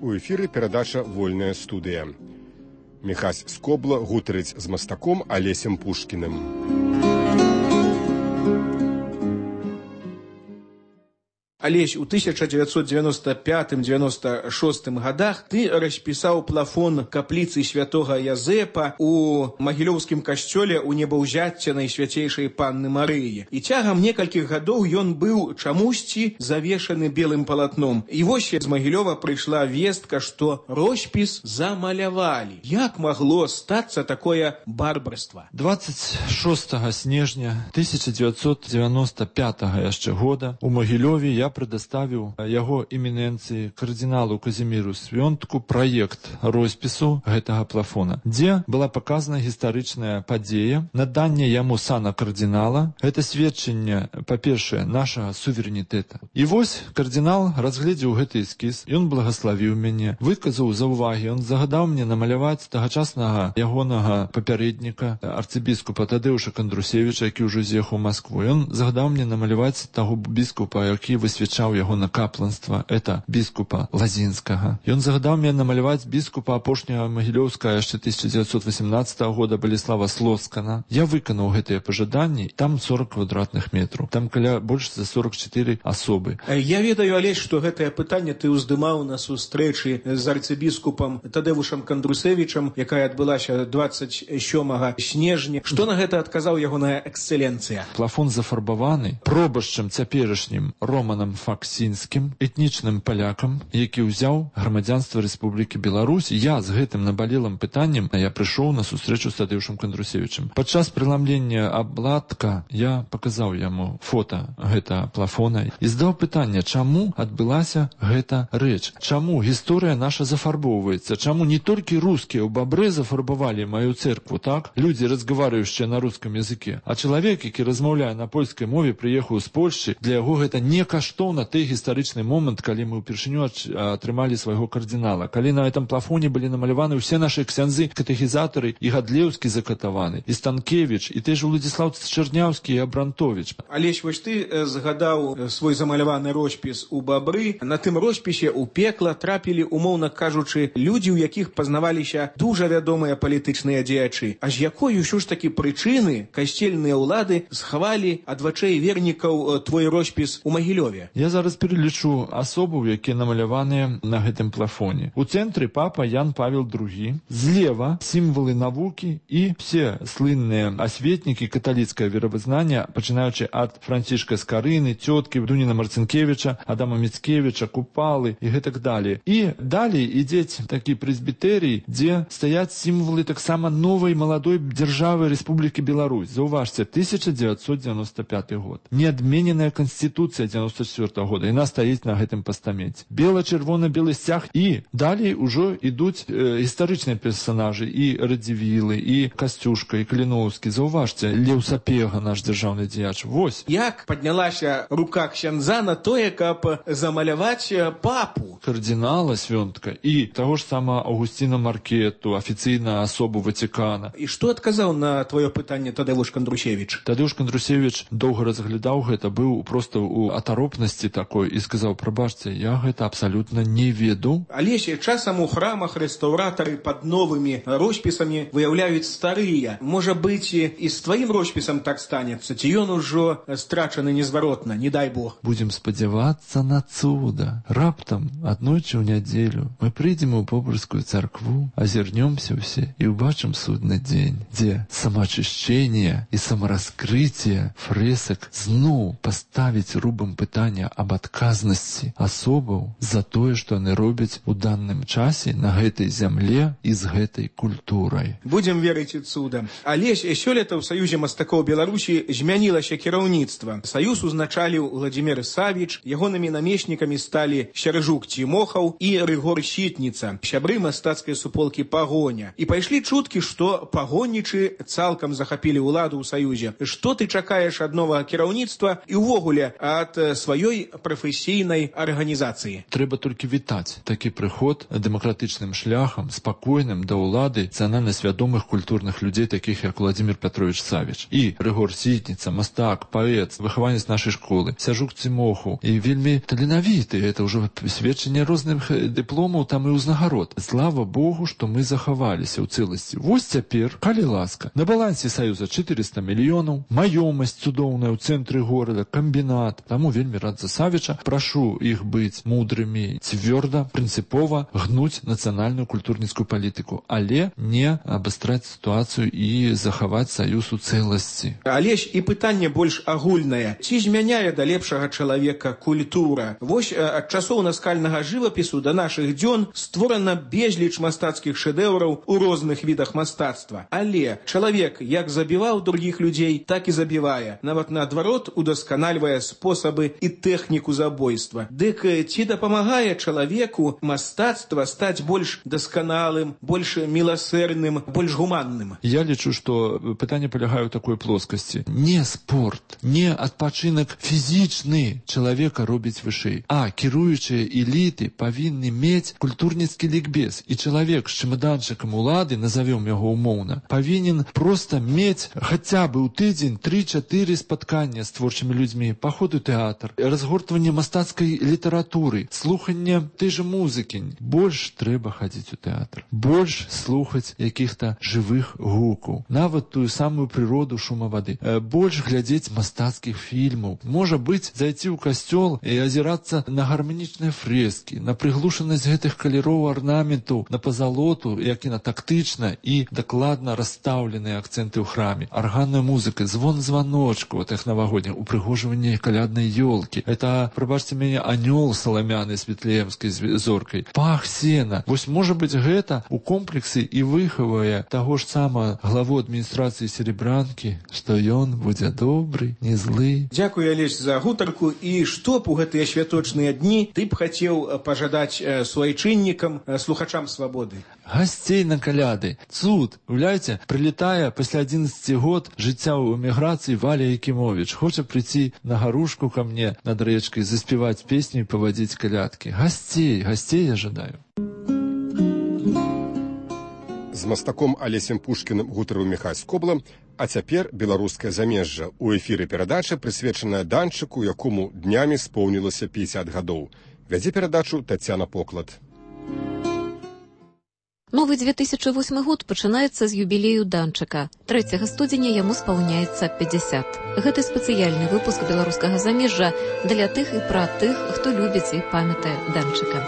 У эфіры перадача «Вольная студыя». Міхась Скобла гутарыць з мастаком Алесем Пушкіным. Алесь, у тысяча девятьсот девяносто пятым — девяносто шостым годах ты распісаў плафон капліцы святога Язэпа у магілёўскім касцёле ў небаўзяцця Найсвяцейшай Панны Марыі. І цягам некалькіх гадоў ён быў чамусьці завешаны белым палатном. І вось з Магілёва прыйшла вестка, што роспіс замалявалі. Як магло стацца такое барбарства? двадцать шостага снежня тысяча девятьсот девяносто пятага яшчэ года у Магілёве я предоставіў яго эміненцыі кардыналу Казіміру Свёнтку праект роспісу гэтага плафона, дзе была паказана гістарычная падзея, наданне яму сана кардынала. Гэта сведчанне, па-першае, нашага суверэнітэта. І вось кардынал разгледзеў гэты эскіз, ён благаславіў мяне, выказаў заўвагі, ён загадаў мне намаляваць тагачаснага ягонага папярэдніка, арцыбіскупа Тадеуша Кандрусевіча, які ўжо з'ехаў у Маскву. Ён загадаў мне намаляваць таго біскупа, які высвятляў прысвячаў яго на капланства, это біскупа Лазінскага. Ён загадаў мне намаляваць біскупа апошняга Магілёўска яшчэ тысяча дзевяцьсот васямнаццатага года Баліслава Слоцкана. Я выканаў гэтыя пажаданні, там сорок квадратных метраў, там каля больш за сорок чатыры асобы. Я ведаю, Алесь, што гэтае пытанне ты ўздымаў на сустрэчы з арцыбіскупам Тадэвушам Кандрусевічам, якая адбылася дваццаць сёмага снежня. Што на гэта адказаў ягоная эксцэленцыя? Плафон зафарбаваны пробашчам цяперашнім Романам Факсінскім, этнічным палякам, які ўзяў грамадзянства Рэспублікі Беларусь. Я з гэтым набалелым пытаннем я прыйшоў на сустрэчу з Тадэвушам Кандрусевічам. Падчас прыламлення абладка я паказаў яму фота гэта плафона і здаў пытанне, чаму адбылася гэта рэч, чаму гісторыя наша зафарбоўваецца, чаму не толькі рускія ў Бабры зафарбавалі маю церкву, так? Людзі, разгаварыючыя на рускім языке, а чалавек, які размаўляе на польскай мове, прыехаў з Польшчы, для яго гэта не каштоўна той гістарычны момант, калі мы ўпершыню атрымалі свайго кардынала, калі на гэтым плафоне былі намаляваны ўсе нашы ксяндзы, катэхізатары, і Гадлеўскі закатаваны, і Станкевіч, і той жа Уладзіслаў Чарняўскі і Абрантовіч. Алесь, вось ты згадаў свой замаляваны роспіс у Бабры. На тым роспісе ў пекла трапілі, умоўна кажучы, людзі, у якіх пазнаваліся дужа вядомыя палітычныя дзеячы. А з якой ўсё ж такі прычыны касцельныя ўлады схавалі ад вачэй вернікаў твой роспіс у Магілёве? Я зараз пералічу асобаў, якія намаляваныя на гэтым плафоне. У цэнтры папа Ян Павел другі, злева сімвалы навукі і все слынныя асветнікі каталіцкае веравызнання, пачынаючы ад Францішка Скарыны, цёткі Дуніна Марцінкевіча, Адама Міцкевіча, Купалы і гэтак далее. І далей ідзець такі прэзбітэрый, дзе стаяць сімвалы таксама новай маладой дзяржавы Рэспублікі Беларусь. Заўважце, тысяча дзевяцьсот дзевяносто пяты год. Неадмененая канстытуцыя дзевяносто четвёртага года. Яна стаіць на гэтым пастаменце. Бела-чырвона-белы сцяг. І далей ужо ідуць э, гістарычныя персанажы, і Радзівілы, і Касцюшка, і Каліноўскі. Заўважце, Леў Сапега, наш дзяржаўны дзеяч. Вось. Як паднялася рука ксяндза на тое, каб замаляваць папу? Кардынала Свёнтка і таго ж сама Аўгусціна Маркету, афіцыйна асобу Ватикана. І што адказаў на твоё пытанне Тадэвуш Кандрусевіч? Тадэвуш Кандрусевіч доўга разглядаў гэта, быў проста ў атаропнасці такой і сказаў: прабачце, я гэта абсалютна не ведаў. Алесь, часам у храмах рэстаўратары пад новымі роспісамі выяўляюць старыя. Можа быць, і з тваім роспісам так станецца, ці ён ужо страчаны незваротна, не дай Бог. Будзем спадзявацца на цуда. Раптам аднойчы ў нядзелю мы прыйдзем у Бобрскую царкву, азірнёмся ўсе і ўбачым судны дзень, дзе самаачышчэнне і самараскрыцце фрэсак зноў паставіць рубам пытання аб адказнасці асобаў за тое, што яны робяць у данным часе на гэтай зямле і з гэтай культурай. Будзем верыць у цуда. Алесь, сёлета ў Саюзе мастакоў Беларусі змянілася кіраўніцтва. Саюз узначаліў Владзімір Савіч, ягонымі намеснікамі сталі Сяржук Цімохаў і Рыгор Сітніца, сябры мастацкай суполкі Пагоня. І пайшлі чуткі, што пагоннічы цалкам захапілі ўладу ў Саюзе. Што ты чакаеш ад новага кіраўніцтва і ўвогуле ад сваёй прафесійнай арганізацыі? Трэба толькі вітаць такі прыход дэмакратычным шляхам, спакойным да ўлады нацыянальна свядомых культурных людзей, такіх як Владзімір Пятрович Савіч. І Рыгор Сітніца, мастак, паэт, выхаванец нашай школы, Сяржук Цімохаў, і вельмі таленавіты. Это ўжо сведчанне розных дыпломаў там і ўзнагарод. Слава Богу, што мы захаваліся ў цэласці. Вось цяпер, калі ласка, на балансе Саюза чатырыста мільёнаў, маёмасць цудоўная ў цэнтры горада, камбінат. Таму вельмі рад за Савіча. Прашу іх быць мудрымі, цвёрда, прынцыпова гнуць нацыянальную культурніцкую палітыку, але не абастраць сітуацыю і захаваць Саюз у цэласці. Алесь, і пытанне больш агульнае. Ці змяняе да лепшага чалавека культура? Вось ад часоў наскальнага жывапісу да нашых дзён створана безліч мастацкіх шэдэўраў у розных відах мастацтва. Але чалавек як забіваў другіх людзей, так і забівае. Нават наадварот удасканальвае спосабы і тэхніку забойства. Дык ці дапамагае чалавеку мастацтва стаць больш дасканалым, больш міласэрным, больш гуманным? Я лічу, што пытанне палягае ў такой плоскасці. Не спорт, не адпачынак фізічны чалавека робіць вышэй, а кіруючыя эліты каліты павінны мець культурніцкі лікбез, і чалавек з чемаданчыкам улады, назовем яго умоўна, павінен проста мець хаця бы ў тыдзень тры-чатыры спаткання з творчымі людзьмі, паход у тэатр, разгортванне мастацкай літаратуры, слуханне той жа музыкі. Больш трэба хадзіць у тэатр, больш слухаць якіх-то жывых гукаў, нават тую самую прыроду шума вады, больш глядзець мастацкіх фільмаў. Можа быць, зайти ў касцёл і азірацца на гарманічныя фрэскі, на прыглушанасць гэтых каляроў арнаментаў, на пазалоту, як і на тактычна і дакладна расстаўленыя акцэнты ў храме, арганная музыка, звон званочку, тых навагодніх, упрыгожванне каляднай ёлкі. Это, прабачце мяне, анёл саламяны з вітлеемскай зоркай, пах сена. Вось, можа быць, гэта у комплексе і выхавае таго ж сама главу адміністрацыі Серебранкі, што ён будзе добры, не злы. Дзякую, Алесь, за гутарку. І што б у гэтыя святочныя дні ты б хацеў пажадаць суайчыннікам, слухачам свабоды? Гасцей на каляды. Цуд. Уявляеце, прилетая пасля адзінаццаці год жыцця ў эміграцыі Валя Якімовіч. Хоча прийти на гарушку ко мне над рэчкай, заспеваць песню і павадзіць калядкі. Гасцей, гасцей я жадаю. З мастаком Алесем Пушкіным гутарыў Міхась Скобла, а цяпер беларускае замежжа. У эфіры перадача, прысвечаная данчыку, якому днямі споўнілася пятьдесят гадоў. Вядзе перадачу Тацяна Поклад. Новы две тысячи восьмы год пачынаецца з юбілею данчыка. трэцяга студзеня яму спаўняецца пятьдесят. Гэты спецыяльны выпуск беларускага замежжа для тых і пра тых, хто любіць і памятае данчыка.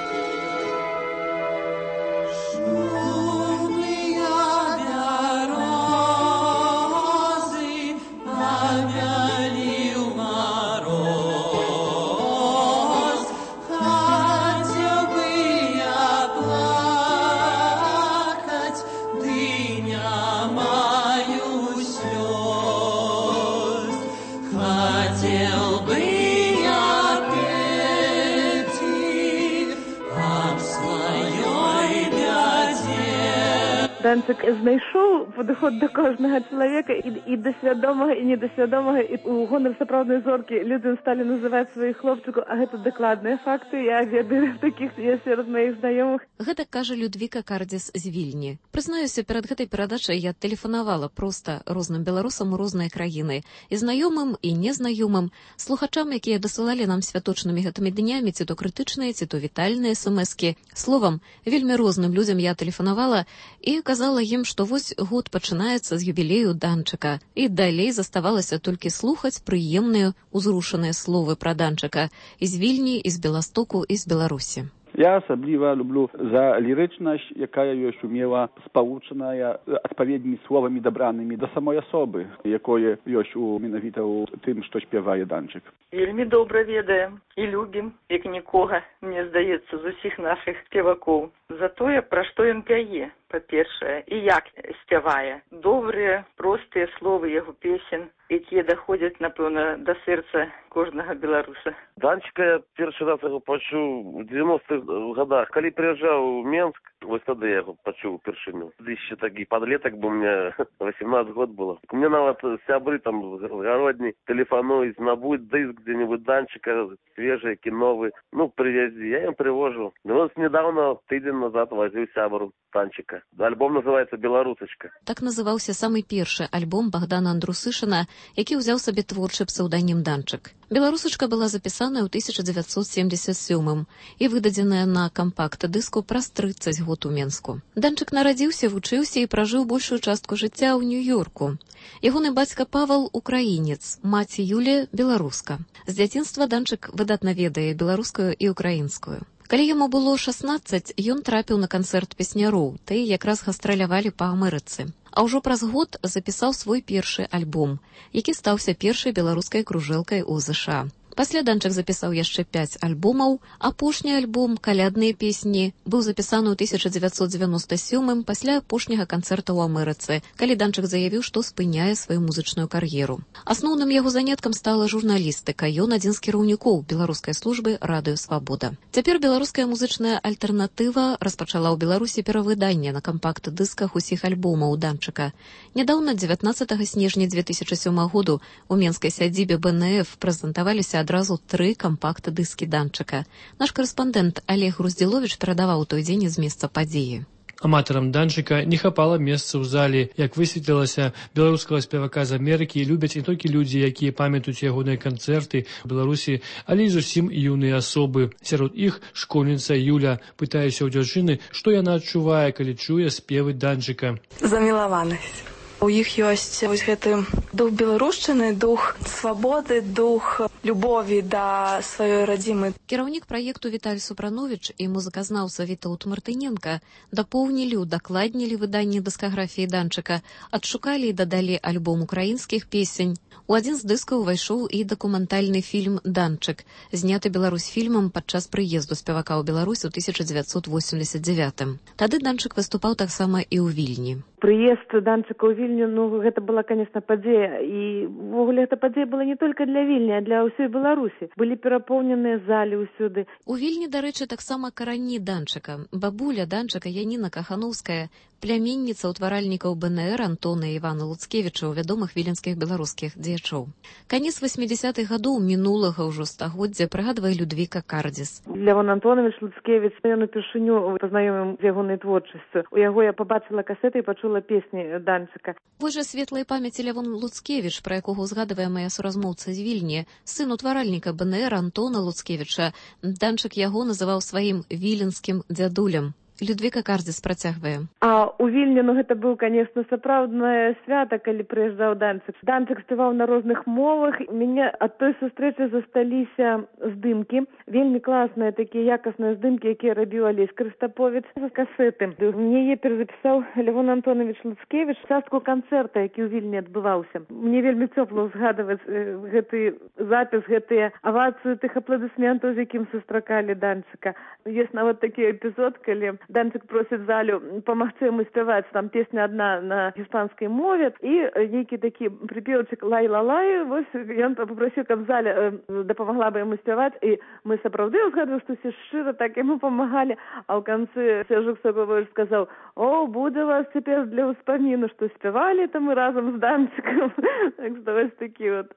Данчык знайшоў падыход да кожнага чалавека і, і да свядомага, і недасвядомага, і у гонар сапраўднай зоркі людзям сталі называць сваіх хлопчыкаў, а гэта дакладныя факты, я ведаю такіх є сярод маіх знаёмых. Гэта кажа Людвіка Кардзіс з Вільні. Прызнаюся, перад гэтай перадачай я тэлефанавала проста розным беларусам у розныя краіны, і знаёмым, і незнаёмым, слухачам, якія дасылалі нам святочнымі гэтымі днямі, ці то крытычныя, ці то вітальныя эс-эм-эскі. Словам, вельмі розным людзям я тэлефанавала і казала ім, што вось год пачынаецца з юбілею данчыка, і далей заставалася толькі слухаць прыемныя, узрушаныя словы пра данчыка з Вільні, з Беластоку і з Беларусі. Я асабліва люблю за лірычнасць, якая ёсць умела спалучаная адпаведнымі словамі дабранымі да самой асобы, якое ёсць у менавіта ў тым, што спявае данчык. Вельмі добра ведаем і любім, як нікога, мне здаецца, з усіх нашых спевакоў. За тое, пра што ён пяе, па-першае, і як спявае. Добрыя, простыя словы яго песен, якія даходзяць, напэўна, да сэрца кожнага беларуса. Данчыка я першы раз яго пачуў у девяностых годах. Калі прыязджаў у Менск, вось тады я яго пачуў упершыню. Яшчэ такі падлетак, бо мне восемнадцать год было. Мне нават сябры там гародні тэлефануюць, набудь дыск дзе-нибудь данчыка, свежий, кіновы. Ну, привези. Я им привожу. Ну, вот недавно, тыдзень назад, возил сябру данчыка. Альбом называется «Беларусачка». Так называўся самы першы альбом Богдана Андрусышына, які ўзяў сабе творчы псеўданім данчык. «Беларусачка» была запісаная ў тысяча дзевяцьсот семьдесят сёмым і выдадзеная на кампакт-дыску праз трыццаць год у Менску. Данчык нарадзіўся, вучыўся і пражыў большую частку жыцця ў Нью-Йорку. Ягоны бацька Павал – украінец, маці Юлія – беларуска. З дзяцінства данчык выдатна ведае беларускую і украінскую. Калі яму было шаснаццаць, ён трапіў на канцэрт песняроў, тыя якраз гастралявалі па Амерыцы. А ўжо праз год запісаў свой першы альбом, які стаўся першай беларускай кружэлкай у ЗША. Пасля данчык запісаў яшчэ пяць альбомаў. Апошні альбом «Калядныя песні» быў запісаны ў тысяча дзевяцьсот дзевяноста сёмым пасля апошняга канцэрта ў Амерыцы, калі данчык заявіў, што спыняе сваю музычную кар'еру. Асноўным яго заняткам стала журналістыка. Ён адзін з кіраўнікоў беларускай службы «Радыё Свабода». Цяпер беларуская музычная альтэрнатыва распачала ў Беларусі перавыданне на кампакт-дысках усіх альбомаў данчыка. Нядаўна, дзевятнаццатага снежня две тысячи сёмага году, у менскай сядзібе бэ эн эф прэзентаваліся адразу тры кампакт-дыскі Данчыка. Наш карэспандэнт Олег Груздзіловіч перадаваў той дзень з месца падзеі. Аматарам Данчыка не хапала месца ў зале. Як высветлілася, беларускага спевака з Амерыкі любяць не толькі людзі, якія памятаюць ягоныя канцэрты ў Беларусі, але і зусім юныя асобы. Сярод іх школьніца Юля. Пытаюся ў дзяўчыны, што яна адчувае, калі чуе спевы Данчыка. Замілаванасць. У іх ёсць вось гэты дух беларушчыны, дух свабоды, дух любові да сваёй радзімы. Кіраўнік праекту Віталь Супрановіч і музыказнаўца Вітаўт Мартыненка дапоўнілі, удакладнілі выданне дыскаграфіі Данчыка, адшукалі і дадалі альбом украінскіх песень. У адзін з дыскаў увайшоў і дакументальны фільм «Данчык», зняты Беларусьфільмам падчас прыезду спевака ў Беларусь у тысяча дзевяцьсот восемьдесят девятым. Тады Данчык выступаў таксама і ў Вільні. Прыезд Данчыка ў Вільню, ну, гэта была, конечно, падзея. І, ввогуле, гэта падзея была не толькі для Вільні, а для ўсёй Беларусі. Былі перапоўненыя залі ўсюды. У Вільні, дарэчы, таксама карані Данчыка. Бабуля Данчыка Яніна Кахановская, пляменніца ўтваральнікаў бэ эн эр Антона і Івана Луцкевічаў, вядомых віленскіх беларускіх дзеячоў. Канец восьмідзесятых гадоў мінулага ўжо стагоддзя прыгадвае Людвіка Кардзіс. Лявон Антонович Луцкевіч, ён упершыню пазнаёміў з ягонай творчасцю. У яго я пабачыла касеты і пачула песні Данчыка. Вось жа светлай памяці Лявон Луцкевіч, пра якога ўзгадвае мая суразмоўца з Вільні, сын утваральніка бэ эн эр Антона Луцкевіча. Данчык яго называў сваім віленскім дзядулем. Людвіка Кардзіс працягвае. А у Вільні, ну, гэта быў, конечно, сапраўднае свята, калі прыязджаў Данчык. Данчык спяваў на розных мовах. Мяне ад той сустрэчы засталіся здымкі. Вельмі класныя такія якасныя здымкі, якія рабіў Алесь Крыстаповіч з касеты. Мне яе перазапісаў Лявон Антонович Луцкевіч, частку канцэрта, які ў Вільні адбываўся. Мне вельмі цёпла ўзгадваць гэты запіс, гэтыя авацыі тых апладысментаў, з якім сустракалі Данчыка. Ёсць нават такі эпізод, калі Данчык просіць залю памагчы яму спяваць, там песня адна на іспанскай мове, і нейкі такі прыпеўчык лай-ла-лай, вось ён папрасіў, каб заля дапамагла бы яму спяваць, і мы сапраўды ўзгадваем, што ўсе шчыра так яму памагалі, а ў канцы Сержук Сабович сказаў: «О, будзе вас цяпер для ўспаміну, што спявалі там мы разам з Данчыкам». Так што вось такі вот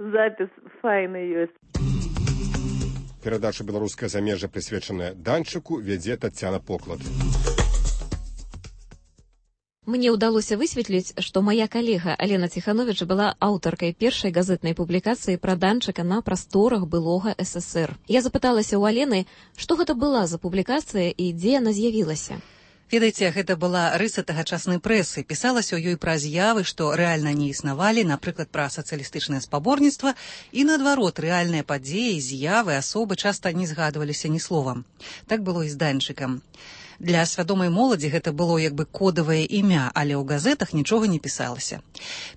запіс файны ёсць. Перадача «Беларускае замежжа», прысвечаная Данчыку, вядзе Таццяна Поклад. Мне ўдалося высветліць, што мая калега Алена Ціхановіч была аўтаркай першай газетнай публікацыі пра Данчыка на прасторах былога эс эсэр. Я запыталася ў Алены, што гэта была за публікацыя і дзе яна з'явілася. Ведаеце, гэта была рыса тагачаснай прэсы. Пісалася ў ёй пра з'явы, што рэальна не існавалі, напрыклад, пра сацыялістычнае спаборніцтва, і, наадварот, рэальныя падзеі, з'явы, асобы часта не згадваліся ні словам. Так было і з Данчыкам. Для свядомай моладзі гэта было як бы кодавае імя, але ў газетах нічога не пісалася.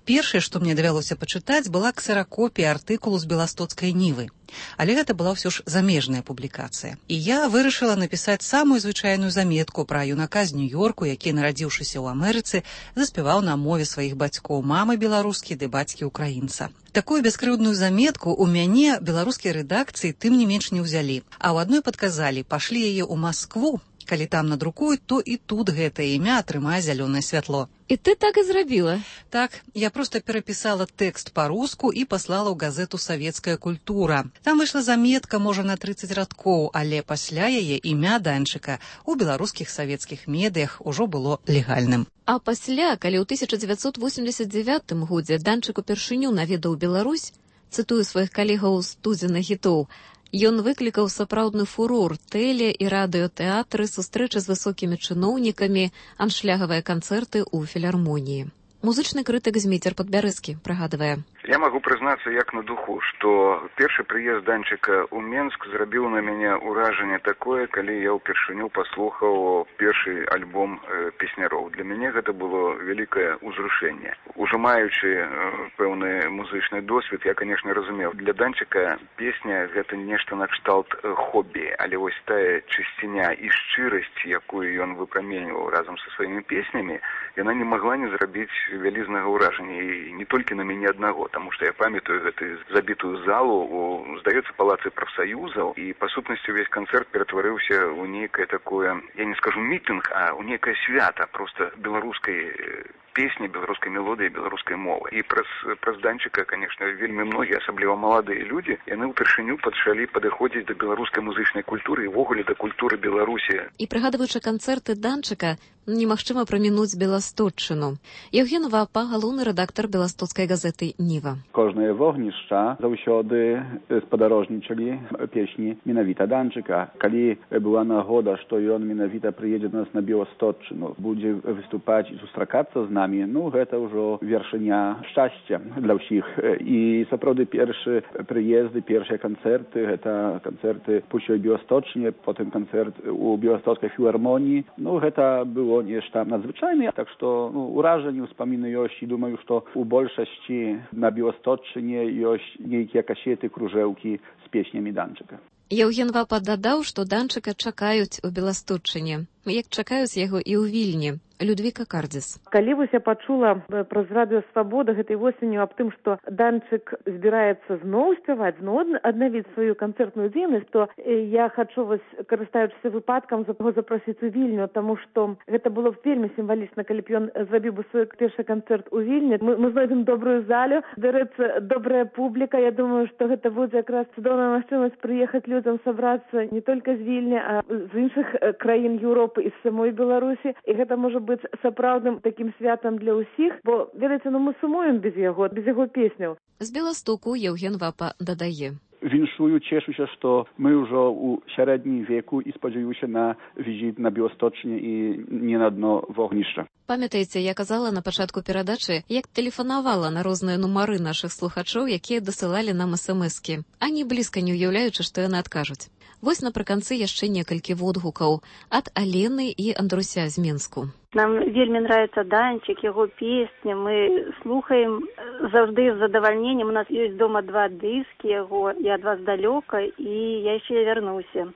Першае, што мне давялося пачытаць, была ксеракопія артыкулу з беластоцкай нівы. Але гэта была ўсё ж замежная публікацыя. І я вырашыла напісаць самую звычайную заметку пра юнака з Нью-Йорку, які, нарадзіўшыся ў Амерыцы, заспяваў на мове сваіх бацькоў, мамы беларускі ды бацькі украінца. Такую бяскрыўдную заметку ў мяне беларускія рэдакцыі тым не менш не ўзялі, а ў адной падказалі: пашлі яе ў Маскву, калі там надрукуюць, то і тут гэтае імя атрымае зялёнае святло. І ты так і зрабіла? Так, я проста перапісала тэкст па-руску і паслала ў газету «Савецкая культура». Там выйшла заметка, можа, на трыццаць радкоў, але пасля яе імя Данчыка ў беларускіх савецкіх медыях ужо было легальным. А пасля, калі ў тысяча дзевяцьсот восемьдесят девятым годзе Данчык упершыню наведаў Беларусь, цытую сваіх калегаў з тузіна хітоў, ён выклікаў сапраўдны фурор, тэле- і радыётэатры, сустрэчы з высокімі чыноўнікамі, аншлягавыя канцэрты ў філармоніі. Музычны крытык Зміцер Падбярэзкі прыгадвае: Я могу признаться як на духу, что першы прыезд Данчыка ў Менск зрабіў на мяне ўражанне такое, калі я ўпершыню паслухаў першы альбом э, песняроў. Для мяне гэта было вялікае ўзрушэнне. Ужо маючы э, пэўны музычны досвед, я, конечно, разумеў, для Данчыка песня гэта нешта накшталт э, хобі, але вось тая чысціня і шчырасць, якую ён выпраменьваў разам са сваімі песнямі, яна не магла не зрабіць вялізнага ўражання, і не толькі на мяне аднаго. потому что я памятаю гэтую забитую залу у, здаецца, палацы прафсаюзаў, і па сутнасці увесь канцэрт ператварыўся ў нейкае такое, я не скажу мітынг, а ў нейкае свята просто беларускай песні, беларускай мелодыі, беларускай мовы. І праз, праз Данчыка, конечно, вельмі многія, асабліва маладыя людзі, яны ўпершыню пачалі падыходзіць да беларускай музычнай культуры і ўвогуле да культуры Беларусі. І прыгадваючы канцэрты Данчыка, немагчыма прамінуць Беласточчыну. Евген Вапа, галоўны рэдактар беластоцкай газеты «Ніва». Кожнае вогнішча заўсёды спадарожнічалі песні менавіта Данчыка. Калі была нагода, што ён менавіта прыедзе до нас на Беласточчыну, будзе выступаць і сустракацца з намі, ну, гэта ўжо вершыня шчасця для ўсіх. І сапраўды першы прыезды, першыя канцэрты, гэта канцэрты пусть у Беласточчыне, потым канцэрт у Беластоцкай філармоніі. Ну, гэта было нешта надзвычайнае, так што ну, уражанні, успаміны ёсць, і думаю, што у большасці на Беласточчыне ёсць нейкія касеты, кружэўкі з песнямі Данчыка. Евген Вапа дадаў, што Данчыка чакаюць у Беласточчыне, як чакаюць яго і ў Вільні. Людвіка Кардзіс. Калі вось я пачула праз радыё «Свабода» гэтай восенню аб тым, што Данчык збіраецца зноў спяваць, зноў аднавіць сваю канцэртную дзейнасць, то я хачу вось, карыстаючыся выпадкам, яго запрасіць у Вільню, таму што гэта было б вельмі сімвалічна, калі б ён зрабіў бы свой першы канцэрт у Вільні. Мы, мы знойдзем добрую залю, дарэчы, добрая публіка. Я думаю, што гэта будзе якраз цудоўная магчымасць прыехаць людзям сабрацца не толькі з Вільні, а з іншых краін Еўропы і з самой Беларусі. І гэта можа быць сапраўдным такім святам для ўсіх, бо, ведаеце, ну мы сумуем без яго, без яго песняў. З Беластоку Евген Вапа дадае. Віншую, цешуся, што мы ўжо ў сярэднім веку і спадзяюся на візіт на Беласточчыне і не на дно вогнішча. Памятаеце, я казала на пачатку перадачы, як тэлефанавала на розныя нумары нашых слухачоў, якія дасылалі нам эс-эм-эскі, ані блізка не уяўляючы, што яны адкажуць. Вось напрыканцы яшчэ некалькі водгукаў ад Алены і Андруся з Менску. Нам вельмі нравится Данчик, его песни. Мы слухаем завжды з задавальненнем. У нас есть дома два диски его. Я от вас далека, и я еще вернуся.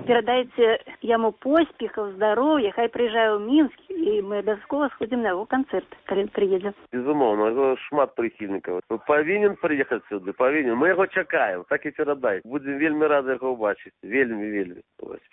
Передайте ему поспехов, здоровья, хай приезжаю в Минск, и мы обовязково сходим на его концерт, когда приедем. Безумовно, его шмат прихильников. Повинен приехать сюда, повинен. Мы его чекаем, так и передайте. Будем вельми рады его убачить. Вельми, вельми.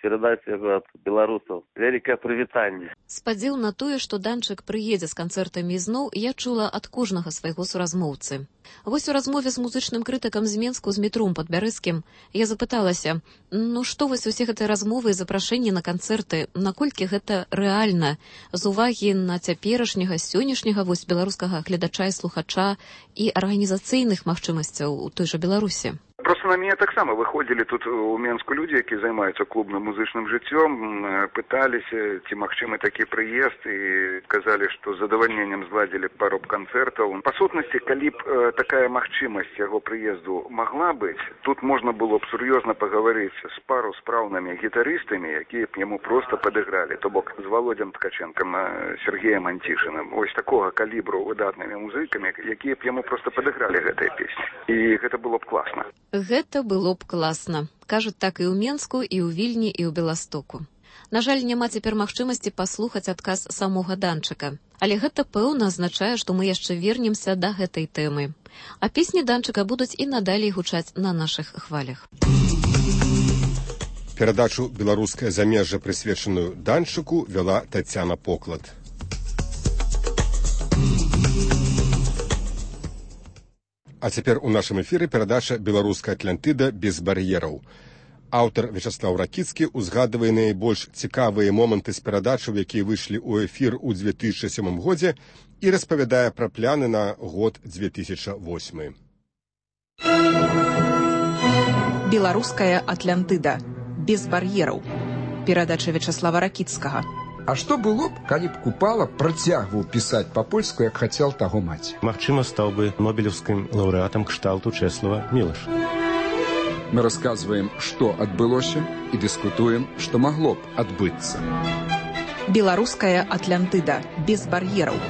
Передайте его от белорусов. Великое привитание. Спадзіў на тое, што Данчык прыедзе з канцэртамі ізноў, я чула ад кожнага свайго суразмоўцы. Вось у размове з музычным крытыкам з Менску з Мітром Падбярэзкім я запыталася, ну што вось усе гэтыя размовы і запрашэнні на канцэрты, наколькі гэта рэальна, з увагі на цяперашняга, сённяшняга вось беларускага гледача і слухача і арганізацыйных магчымасцяў у той жа Беларусі. Просто на меня таксама выходили тут у Менску люди, які займаюцца клубным музычным жыццём, пыталіся, ці магчымы такі прыезд, і казалі, што з задавальненнем зладзілі пару канцэртаў. Па сутнасці, калі б э, такая магчымасць яго прыезду магла быць, тут можна было б сур'ёзна пагаварыць з пару спраўнымі гітарыстамі, якія б яму проста падыгралі, то бок з Володзем Ткаченкам, Сергеем Антішыным, ось такога калібру выдатнымі музыкамі, якія б яму проста падыгралі гэтыя песні. І гэта было б класна. Гэта было б класна. Кажуць так і ў Менску, і ў Вільні, і ў Беластоку. На жаль, няма цяпер магчымасці паслухаць адказ самога Данчыка. Але гэта пэўна азначае, што мы яшчэ вернемся да гэтай тэмы. А песні Данчыка будуць і надалей гучаць на нашых хвалях. Перадачу «Беларускае замежжа», прысвечаную Данчыку, вяла Тацяна Поклад. А цяпер у нашым эфіры перадача «Беларуская Атлантыда без бар'ераў». Аўтар Вячаслаў Ракіцкі узгадвае найбольш цікавыя моманты з перадачаў, якія выйшлі ў эфір у дзве тысячы сёмым годзе, і распавядае пра пляны на год дзве тысячы восьмы. «Беларуская Атлантыда без бар'ераў». Перадача Вячаслава Ракіцкага. А што было б, калі б Купала працягваў пісаць па-польску, як хацеў таго маці? Магчыма, стаў бы нобелеўскім лаўрэатам кшталту Чэслава Мілаша. Мы расказваем, што адбылося, і дыскутуем, што магло б адбыцца. «Беларуская Атлантыда без бар'ераў».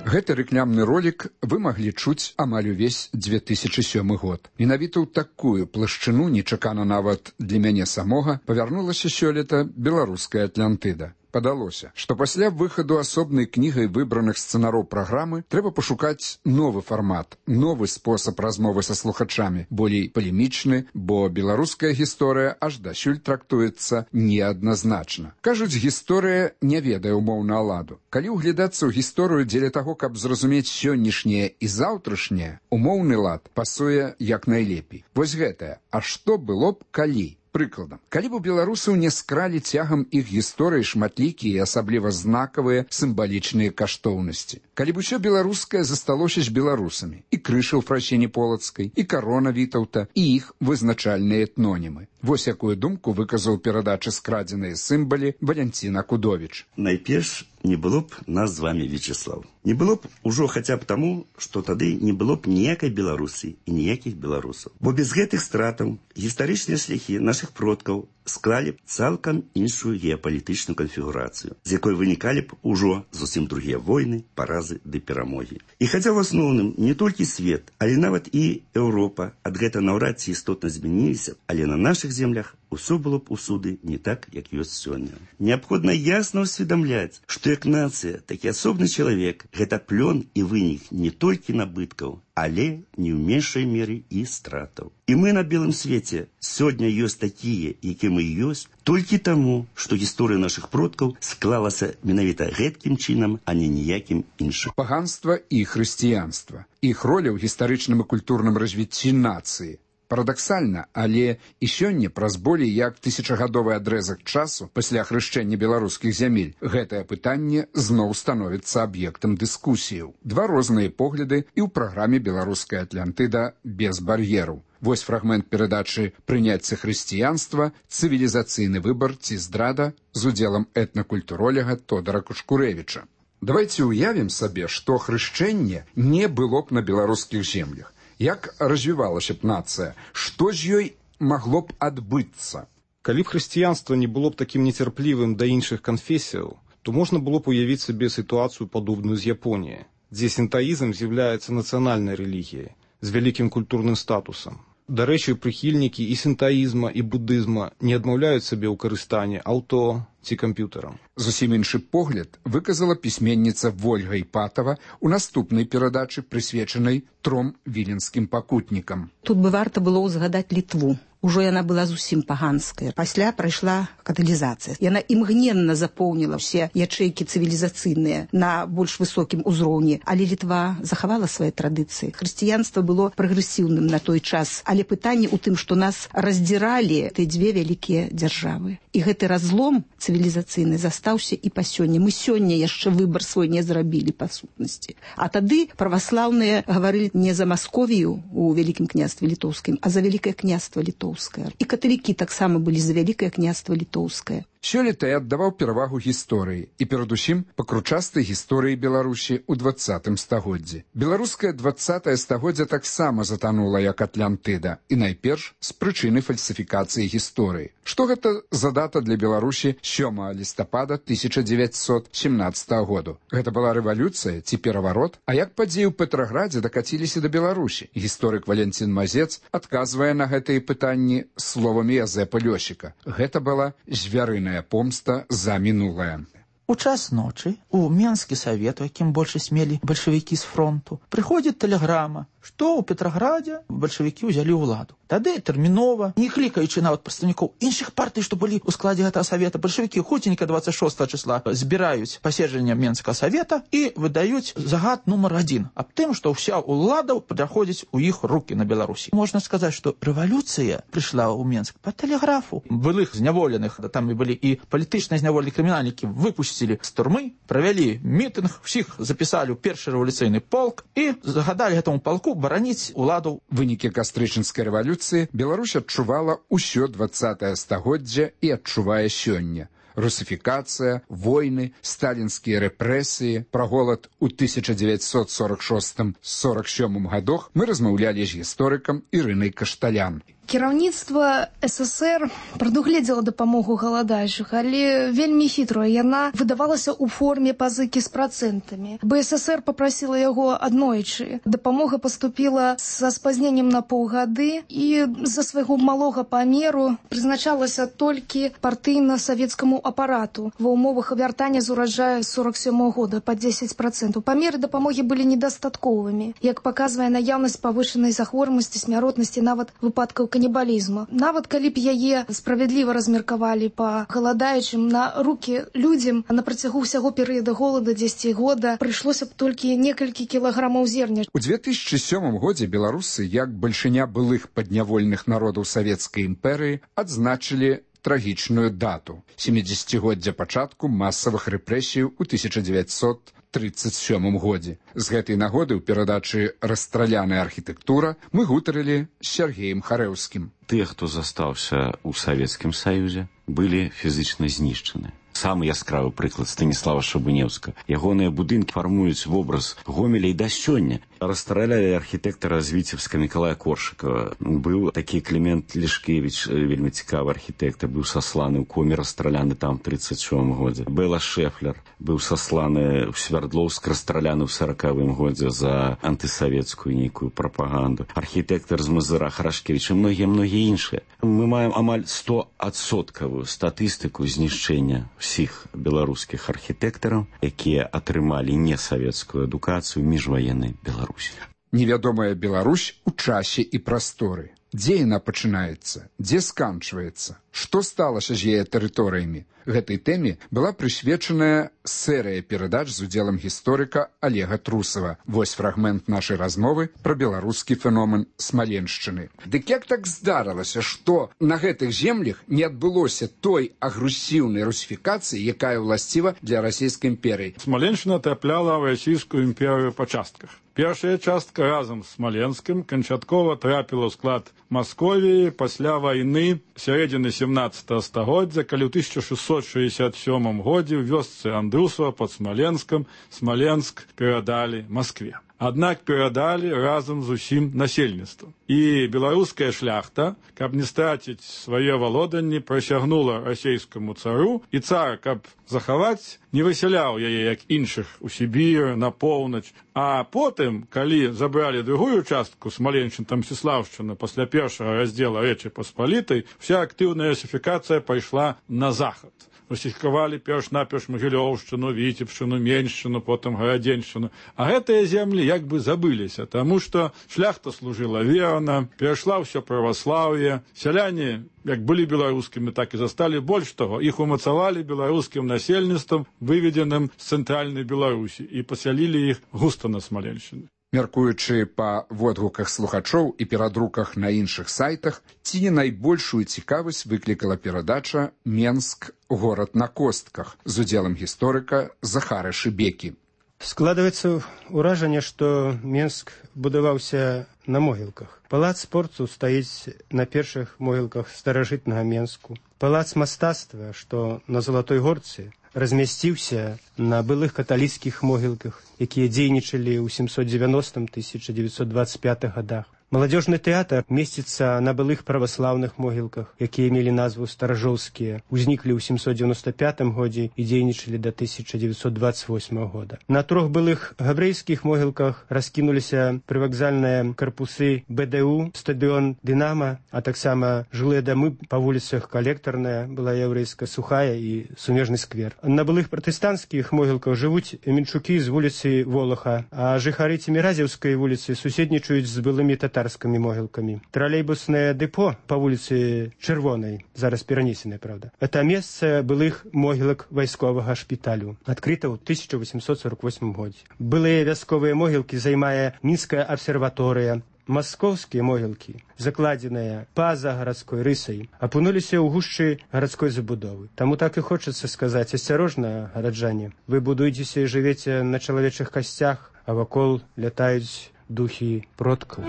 Гэты рэкламны ролік вы маглі чуць амаль увесь дзве тысячы сёмы год. Менавіта ў такую плашчыну, нечакана нават для мяне самога, павярнулася сёлета «Беларуская Атлантыда». Падалося, што пасля выхаду асобнай кнігай выбраных сцэнароў праграмы трэба пашукаць новы фармат, новы спосаб размовы са слухачамі, болей палемічны, бо беларуская гісторыя аж дасюль трактуецца неадназначна. Кажуць, гісторыя не ведае умоўна ладу. Калі ўглядацца ў гісторыю дзеля таго, каб зразумець сённяшняе і заўтрашняе, умоўны лад пасуе як найлепей. Вось гэтае, а што было б калі? Прыкладам, калі б у беларусаў не скралі цягам іх гісторыі шматлікія і асабліва знакавыя сімвалічныя каштоўнасці. Калі б усё беларускае засталося з беларусамі, і крыша ў Фрасіні Полацкай, і карона Вітаўта, і іх вызначальныя этнонімы. Вось якую думку выказаў перадачы скрадзеныя сімвалі Валянцін Акудовіч. Найперш, не было б нас з вами, Вячеслав. Не было б ужо хаця б таму, што тады не было б ніякай Беларусі і ніякіх беларусаў. Бо без гэтых стратаў гістарычныя шляхі нашых продкаў склалі б цалкам іншую геапалітычную канфігурацыю, з якой вынікалі б ужо зусім другія войны, паразы ды перамогі. І хаця ў асноўным не толькі свет, але нават і Еўропа ад гэта наўрад ці істотна змяніліся, але на нашых землях усё было б усюды не так, як ёсць сёння. Неабходна ясна ўсведамляць, што як нацыя, так і асобны чалавек гэта плён і вынік не толькі набыткаў, але не ў меншай меры і стратаў. І мы на белым свеце сёння ёсць такія, якія мы ёсць, толькі таму, што гісторыя нашых продкаў склалася менавіта гэткім чынам, а не ніякім іншым. Паганства і хрысціянства. Іх роля ў гістарычным і культурным развіцці нацыі. Парадаксальна, але і сёння праз болей як тысячагадовы адрэзак часу пасля хрышчэння беларускіх зямель гэтае пытанне зноў становіцца аб'ектам дыскусіяў. Два розныя погляды і ў праграме «Беларуская Атлантыда» без бар'ераў. Вось фрагмент перадачы «Прыняцце хрысціянства. Цывілізацыйны выбар ці здрада» з удзелам этнакультуролага Тодара Кушкурэвіча. Давайце ўявім сабе, што хрышчэнне не было б на беларускіх землях. Як развівалася б нацыя? Што з ёй магло б адбыцца? Калі б хрысціянства не было б такім нецярплівым да іншых канфесіяў, то можна было б уявіць сабе сітуацыю падобную з Японіяй, дзе сінтаізм з'яўляецца нацыянальнай рэлігіяй з вялікім культурным статусам. Дарэчы, прыхільнікі і сінтаізма, і будызма не адмаўляюць сабе ў карыстанні аўто ці камп'ютарам. Зусім іншы погляд выказала пісьменніца Вольга Іпатава ў наступнай перадачы, прысвечанай тром віленскім пакутнікам. Тут бы варта было ўзгадаць Літву. Ужо яна была зусім паганская. Пасля прайшла каталізацыя. Яна імгненна запоўніла ўсе ячэйкі цывілізацыйныя на больш высокім узроўні. Але Літва захавала свае традыцыі. Хрысціянства было прагрэсіўным на той час. Але пытанне ў тым, што нас раздзіралі тыя дзве вялікія дзяржавы. І гэты разлом цывілізацыйны застаўся і па сёння. Мы сёння яшчэ выбар свой не зрабілі па сутнасці. А тады праваслаўныя гаварылі не за Масковію у Вялікім княстве Літоўскім, а за Вялікае княства Літоўскае. І каталікі таксама былі за Вялікае княства Літоўскае. Сёлета я аддаваў перавагу гісторыі і перадусім пакручастай гісторыі Беларусі ў дваццатым стагоддзі. Беларускае дваццатае стагоддзя таксама затанула як Атлантыда, і найперш з прычыны фальсіфікацыі гісторыі. Што гэта за дата для Беларусі сёмага лістапада тысяча дзевяцьсот сямнаццатага году? Гэта была рэвалюцыя ці пераварот? А як падзеі ў Петраградзе дакаціліся да Беларусі? Гісторык Валянцін Мазец адказвае на гэтыя пытанні словамі Язэпа Лёсіка. Гэта была звярыная помста за мінулае. У час ночы у Менскі савет, у якім большасць мелі бальшавікі з фронту, прыходзіць тэлеграма, што ў Петраградзе бальшавікі ўзялі ўладу. Тады тэрмінова, не клікаючы нават прадстаўнікоў іншых партый, што былі ў складзе гэтага савета, бальшавікі хуценька дваццаць шостага числа збіраюць паседжанне Менскага савета і выдаюць загад нумар адзін аб тым, што ўся ўлада праходзіць у іх рукі на Беларусі. Можна сказаць, што рэвалюцыя прыйшла ў Менск па тэлеграфу. Былых зняволеных, там і былі і палітычныя зняволеныя крымінальнікі, выпусцілі з турмы, правялі мітынг, усіх запісалі ў першы рэвалюцыйны полк і загадалі гэтаму полку бараніць уладу. Вынікі кастрычніцкай рэвалюцыі Беларусь адчувала ўсё дваццатае стагоддзя і адчувае сёння. Русифікацыя, войны, сталінскія рэпрэсіі, пра голад у тысяча дзевяцьсот сорок шостым — сорок сёмым гадах мы размаўлялі з гісторыкам Ірынай Кашталян. Кіраўніцтва СССР прадугледзела дапамогу галадаючых, але вельмі хітрая. Яна выдавалася ў форме пазыкі з працэнтамі. БССР попрасіла яго аднойчы. Дапамога паступіла са спазненнем на паўгады і з-за свайго малога памеру прызначалася толькі партыйна-савецкаму апарату ва ўмовах вяртання з ураджаю сорок сёмага года па дзесяць працэнтаў. Памеры дапамогі былі недастатковымі, як паказвае наяўнасць павышанай захворванасці, смяротнасці, нават выпадкаў канібалізму. Нават калі б яе справядліва размеркавалі па галадаючым, на рукі людзям на працягу ўсяго перыяда голода дзесяць года прыйшлося б толькі некалькі кілаграмаў зерня. У две тысячи сёмым годзе беларусы, як бальшыня былых паднявольных народаў савецкай імперыі, адзначылі трагічную дату – сямідзесяцігоддзя пачатку масавых рэпрэсій у тысяча дзевяцьсот тридцать сёмым годзе. З гэтай нагоды ў перадачы «Расстраляная архітэктура» мы гутарылі з Сергеем Харэўскім. Тыя, хто застаўся ў Савецкім Саюзе, былі фізічна знішчаны. Самы яскравы прыклад Станіслава Шабунеўска. Ягоныя будынкі фармуюць вобраз Гомеля і да сёння. Расстралялі архітэктара з Віцебска Мікалая Коршыкова. Быў такі Клімент Лішкевіч, вельмі цікавы архітэктар, быў сасланы ў коме, расстраляны там ў тридцать сёмым годзе. Бэла Шэфлер быў сасланы ў Свярдлоўск, расстраляны ў саракавым годзе за антысавецкую нейкую прапаганду. Архітэктар з Мазыра Харашкевіч і многія-многія іншыя. Мы маем амаль стоадсоткавую статыстыку знішчэння усіх беларускіх архітэктараў, якія атрымалі несавецкую адукацыю міжваеннай Беларусі. Невядомая Беларусь у часе і прасторы. Дзе яна пачынаецца? Дзе сканчваецца? Што сталася з яе тэрыторыямі? Гэтай тэме была прысвечаная серыя перадач з удзелам гісторыка Олега Трусова. Вось фрагмент нашай размовы пра беларускі феномен Смаленшчыны. Дык як так здарылася, што на гэтых землях не адбылося той агрэсіўнай русіфікацыі, якая ўласціва для расійскай імперыі? Смаленшчына трапляла ў расійскую імперыю па частках. Першая частка разам з Смаленскім канчаткова трапіла ў склад Масковіі пасля вайны сярэдзіны сямнаццатага стагоддзя, калі ў тысяча шэсцьсот шэсцьдзясят сёмым годзе ў вёсцы Андрусава пад Смаленскам Смаленск перадалі Маскве. Аднак перадалі разам з усім насельніцтвам. І беларуская шляхта, каб не страціць свае валоданні, прысягнула расійскаму цару, і цар, каб захаваць, не высяляў яе, як іншых, у Сібір, на поўнач. А потым, калі забралі другую частку Смаленшчына, там Мсціслаўшчына, пасля першага раздзела Рэчы Паспалітай, вся актыўная русіфікацыя пайшла на захад. Русіфікавалі перш-наперш Магілёўшчыну, Віцебшчыну, Меншчыну, потым Гарадзеншчыну. А гэтыя землі як бы забыліся, таму што шляхта служыла верна, перайшла ўсё праваслаўе, сяляне як былі беларускімі, так і засталі. Больш таго, іх умацавалі беларускім насельніцтвам, выведзеным з цэнтральнай Беларусі, і пасялілі іх густа на Смаленшчыне. Мяркуючы па водгуках слухачоў і перадруках на іншых сайтах, ці не найбольшую цікавасць выклікала перадача «Менск. Горад на костках» з удзелам гісторыка Захара Шыбекі. Складваецца ўражанне, што Менск будаваўся на могілках. Палац спорту стаіць на першых могілках старажытнага Менску. Палац мастацтва, што на Залатой Горцы, размясціўся на былых каталіцкіх могілках, якія дзейнічалі ў сямсот дзевяностым — тысяча дзевяцьсот дваццаць пятым годах. Маладзёжны тэатр месціцца на былых праваслаўных могілках, якія мелі назву старажоўскія, узніклі ў сямсот девяносто пятым годзе і дзейнічалі да тысяча дзевяцьсот дваццаць восьмага года. На трох былых габрэйскіх могілках раскінуліся прывакзальныя карпусы бэ дэ у, стадыён «Дынама», а таксама жылыя дамы па вуліцах Калектарная, была яўрэйская, Сухая і Сумежны сквер. На былых пратэстанцкіх могілках жывуць менчукі з вуліцы Волаха, а жыхары Цеміразеўскай вуліцы суседнічаюць з былымі татарскімі могілкамі. Тралейбуснае дэпо па вуліцы Чырвонай, зараз перанесенае, правда. Это месца былых могілак вайсковага шпіталю, адкрыта ў тысяча восемьсот сорок восьмым годзе. Былыя вясковыя могілкі займае Мінская абсерваторыя. Маскоўскія могілкі, закладзеныя па-за гарадской рысай, апынуліся ў гушчы гарадской забудовы. Таму так і хочацца сказаць: асцярожна, гараджане, вы будуецеся і жывеце на чалавечых касцях, а вакол лятаюць духі продкаў.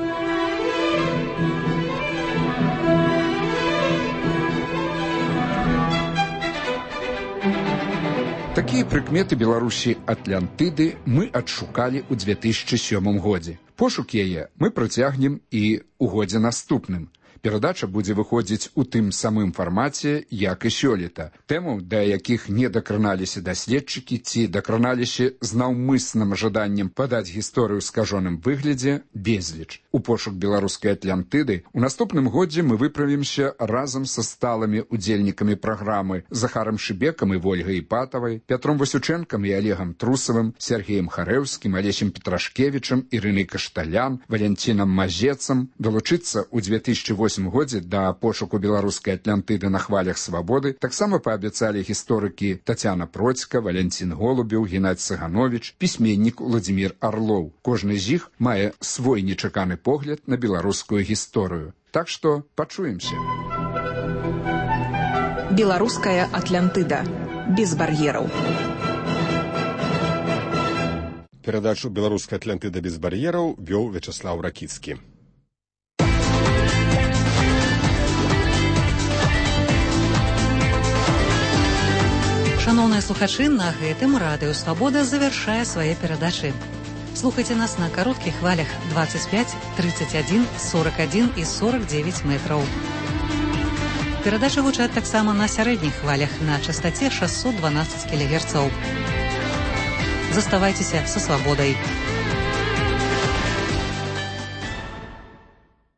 Такія прыкметы Беларусі Атлантыды мы адшукалі ў две тысячи сёмым годзе. Пошук яе мы працягнем і ў годзе наступным. Перадача будзе выходзіць у тым самым фармаце, як і сёлета. Тэмаў, да якіх не дакраналіся даследчыкі ці дакраналіся з наўмысным жаданнем падаць гісторыю ў скажоным выглядзе, безліч. У пошук беларускай Атлантыды у наступным годзе мы выправімся разам са сталымі удзельнікамі праграмы Захарам Шыбекам і Вольгай Іпатавай, Пятром Васючэнкам і Олегам Трусавым, Сергеем Харэўскім, Алесем Петрашкевічам, Ірынай Кашталян, Валянцінам Мазецам. Долучыцца ў две тысячы восьмым годзе да пошуку беларускай Атлантыды на хвалях свабоды таксама паабяцалі гісторыкі Тацяна Процька, Валянцін Голубеў, Геннадзь Цыганович, пісьменнік Уладзімір Арлоў. Кожны з іх мае свой нечаканы погляд на беларускую гісторыю. Так што пачуемся. Беларуская Атлантыда. Без бар'ераў. Перадачу «Беларуская Атлантыда без бар'ераў» вёў Вячаслаў Ракіцкі. Шановныя слухачы, на гэтым радыё «Свабода» завяршае свае перадачы. Слухайце нас на кароткіх хвалях двадцать пять, тридцать один, сорок один і сорок девять метраў. Перадачы гучаць таксама на сярэдніх хвалях на частаце шестьсот двенадцать кілогерцаў. Заставайцеся са свабодай.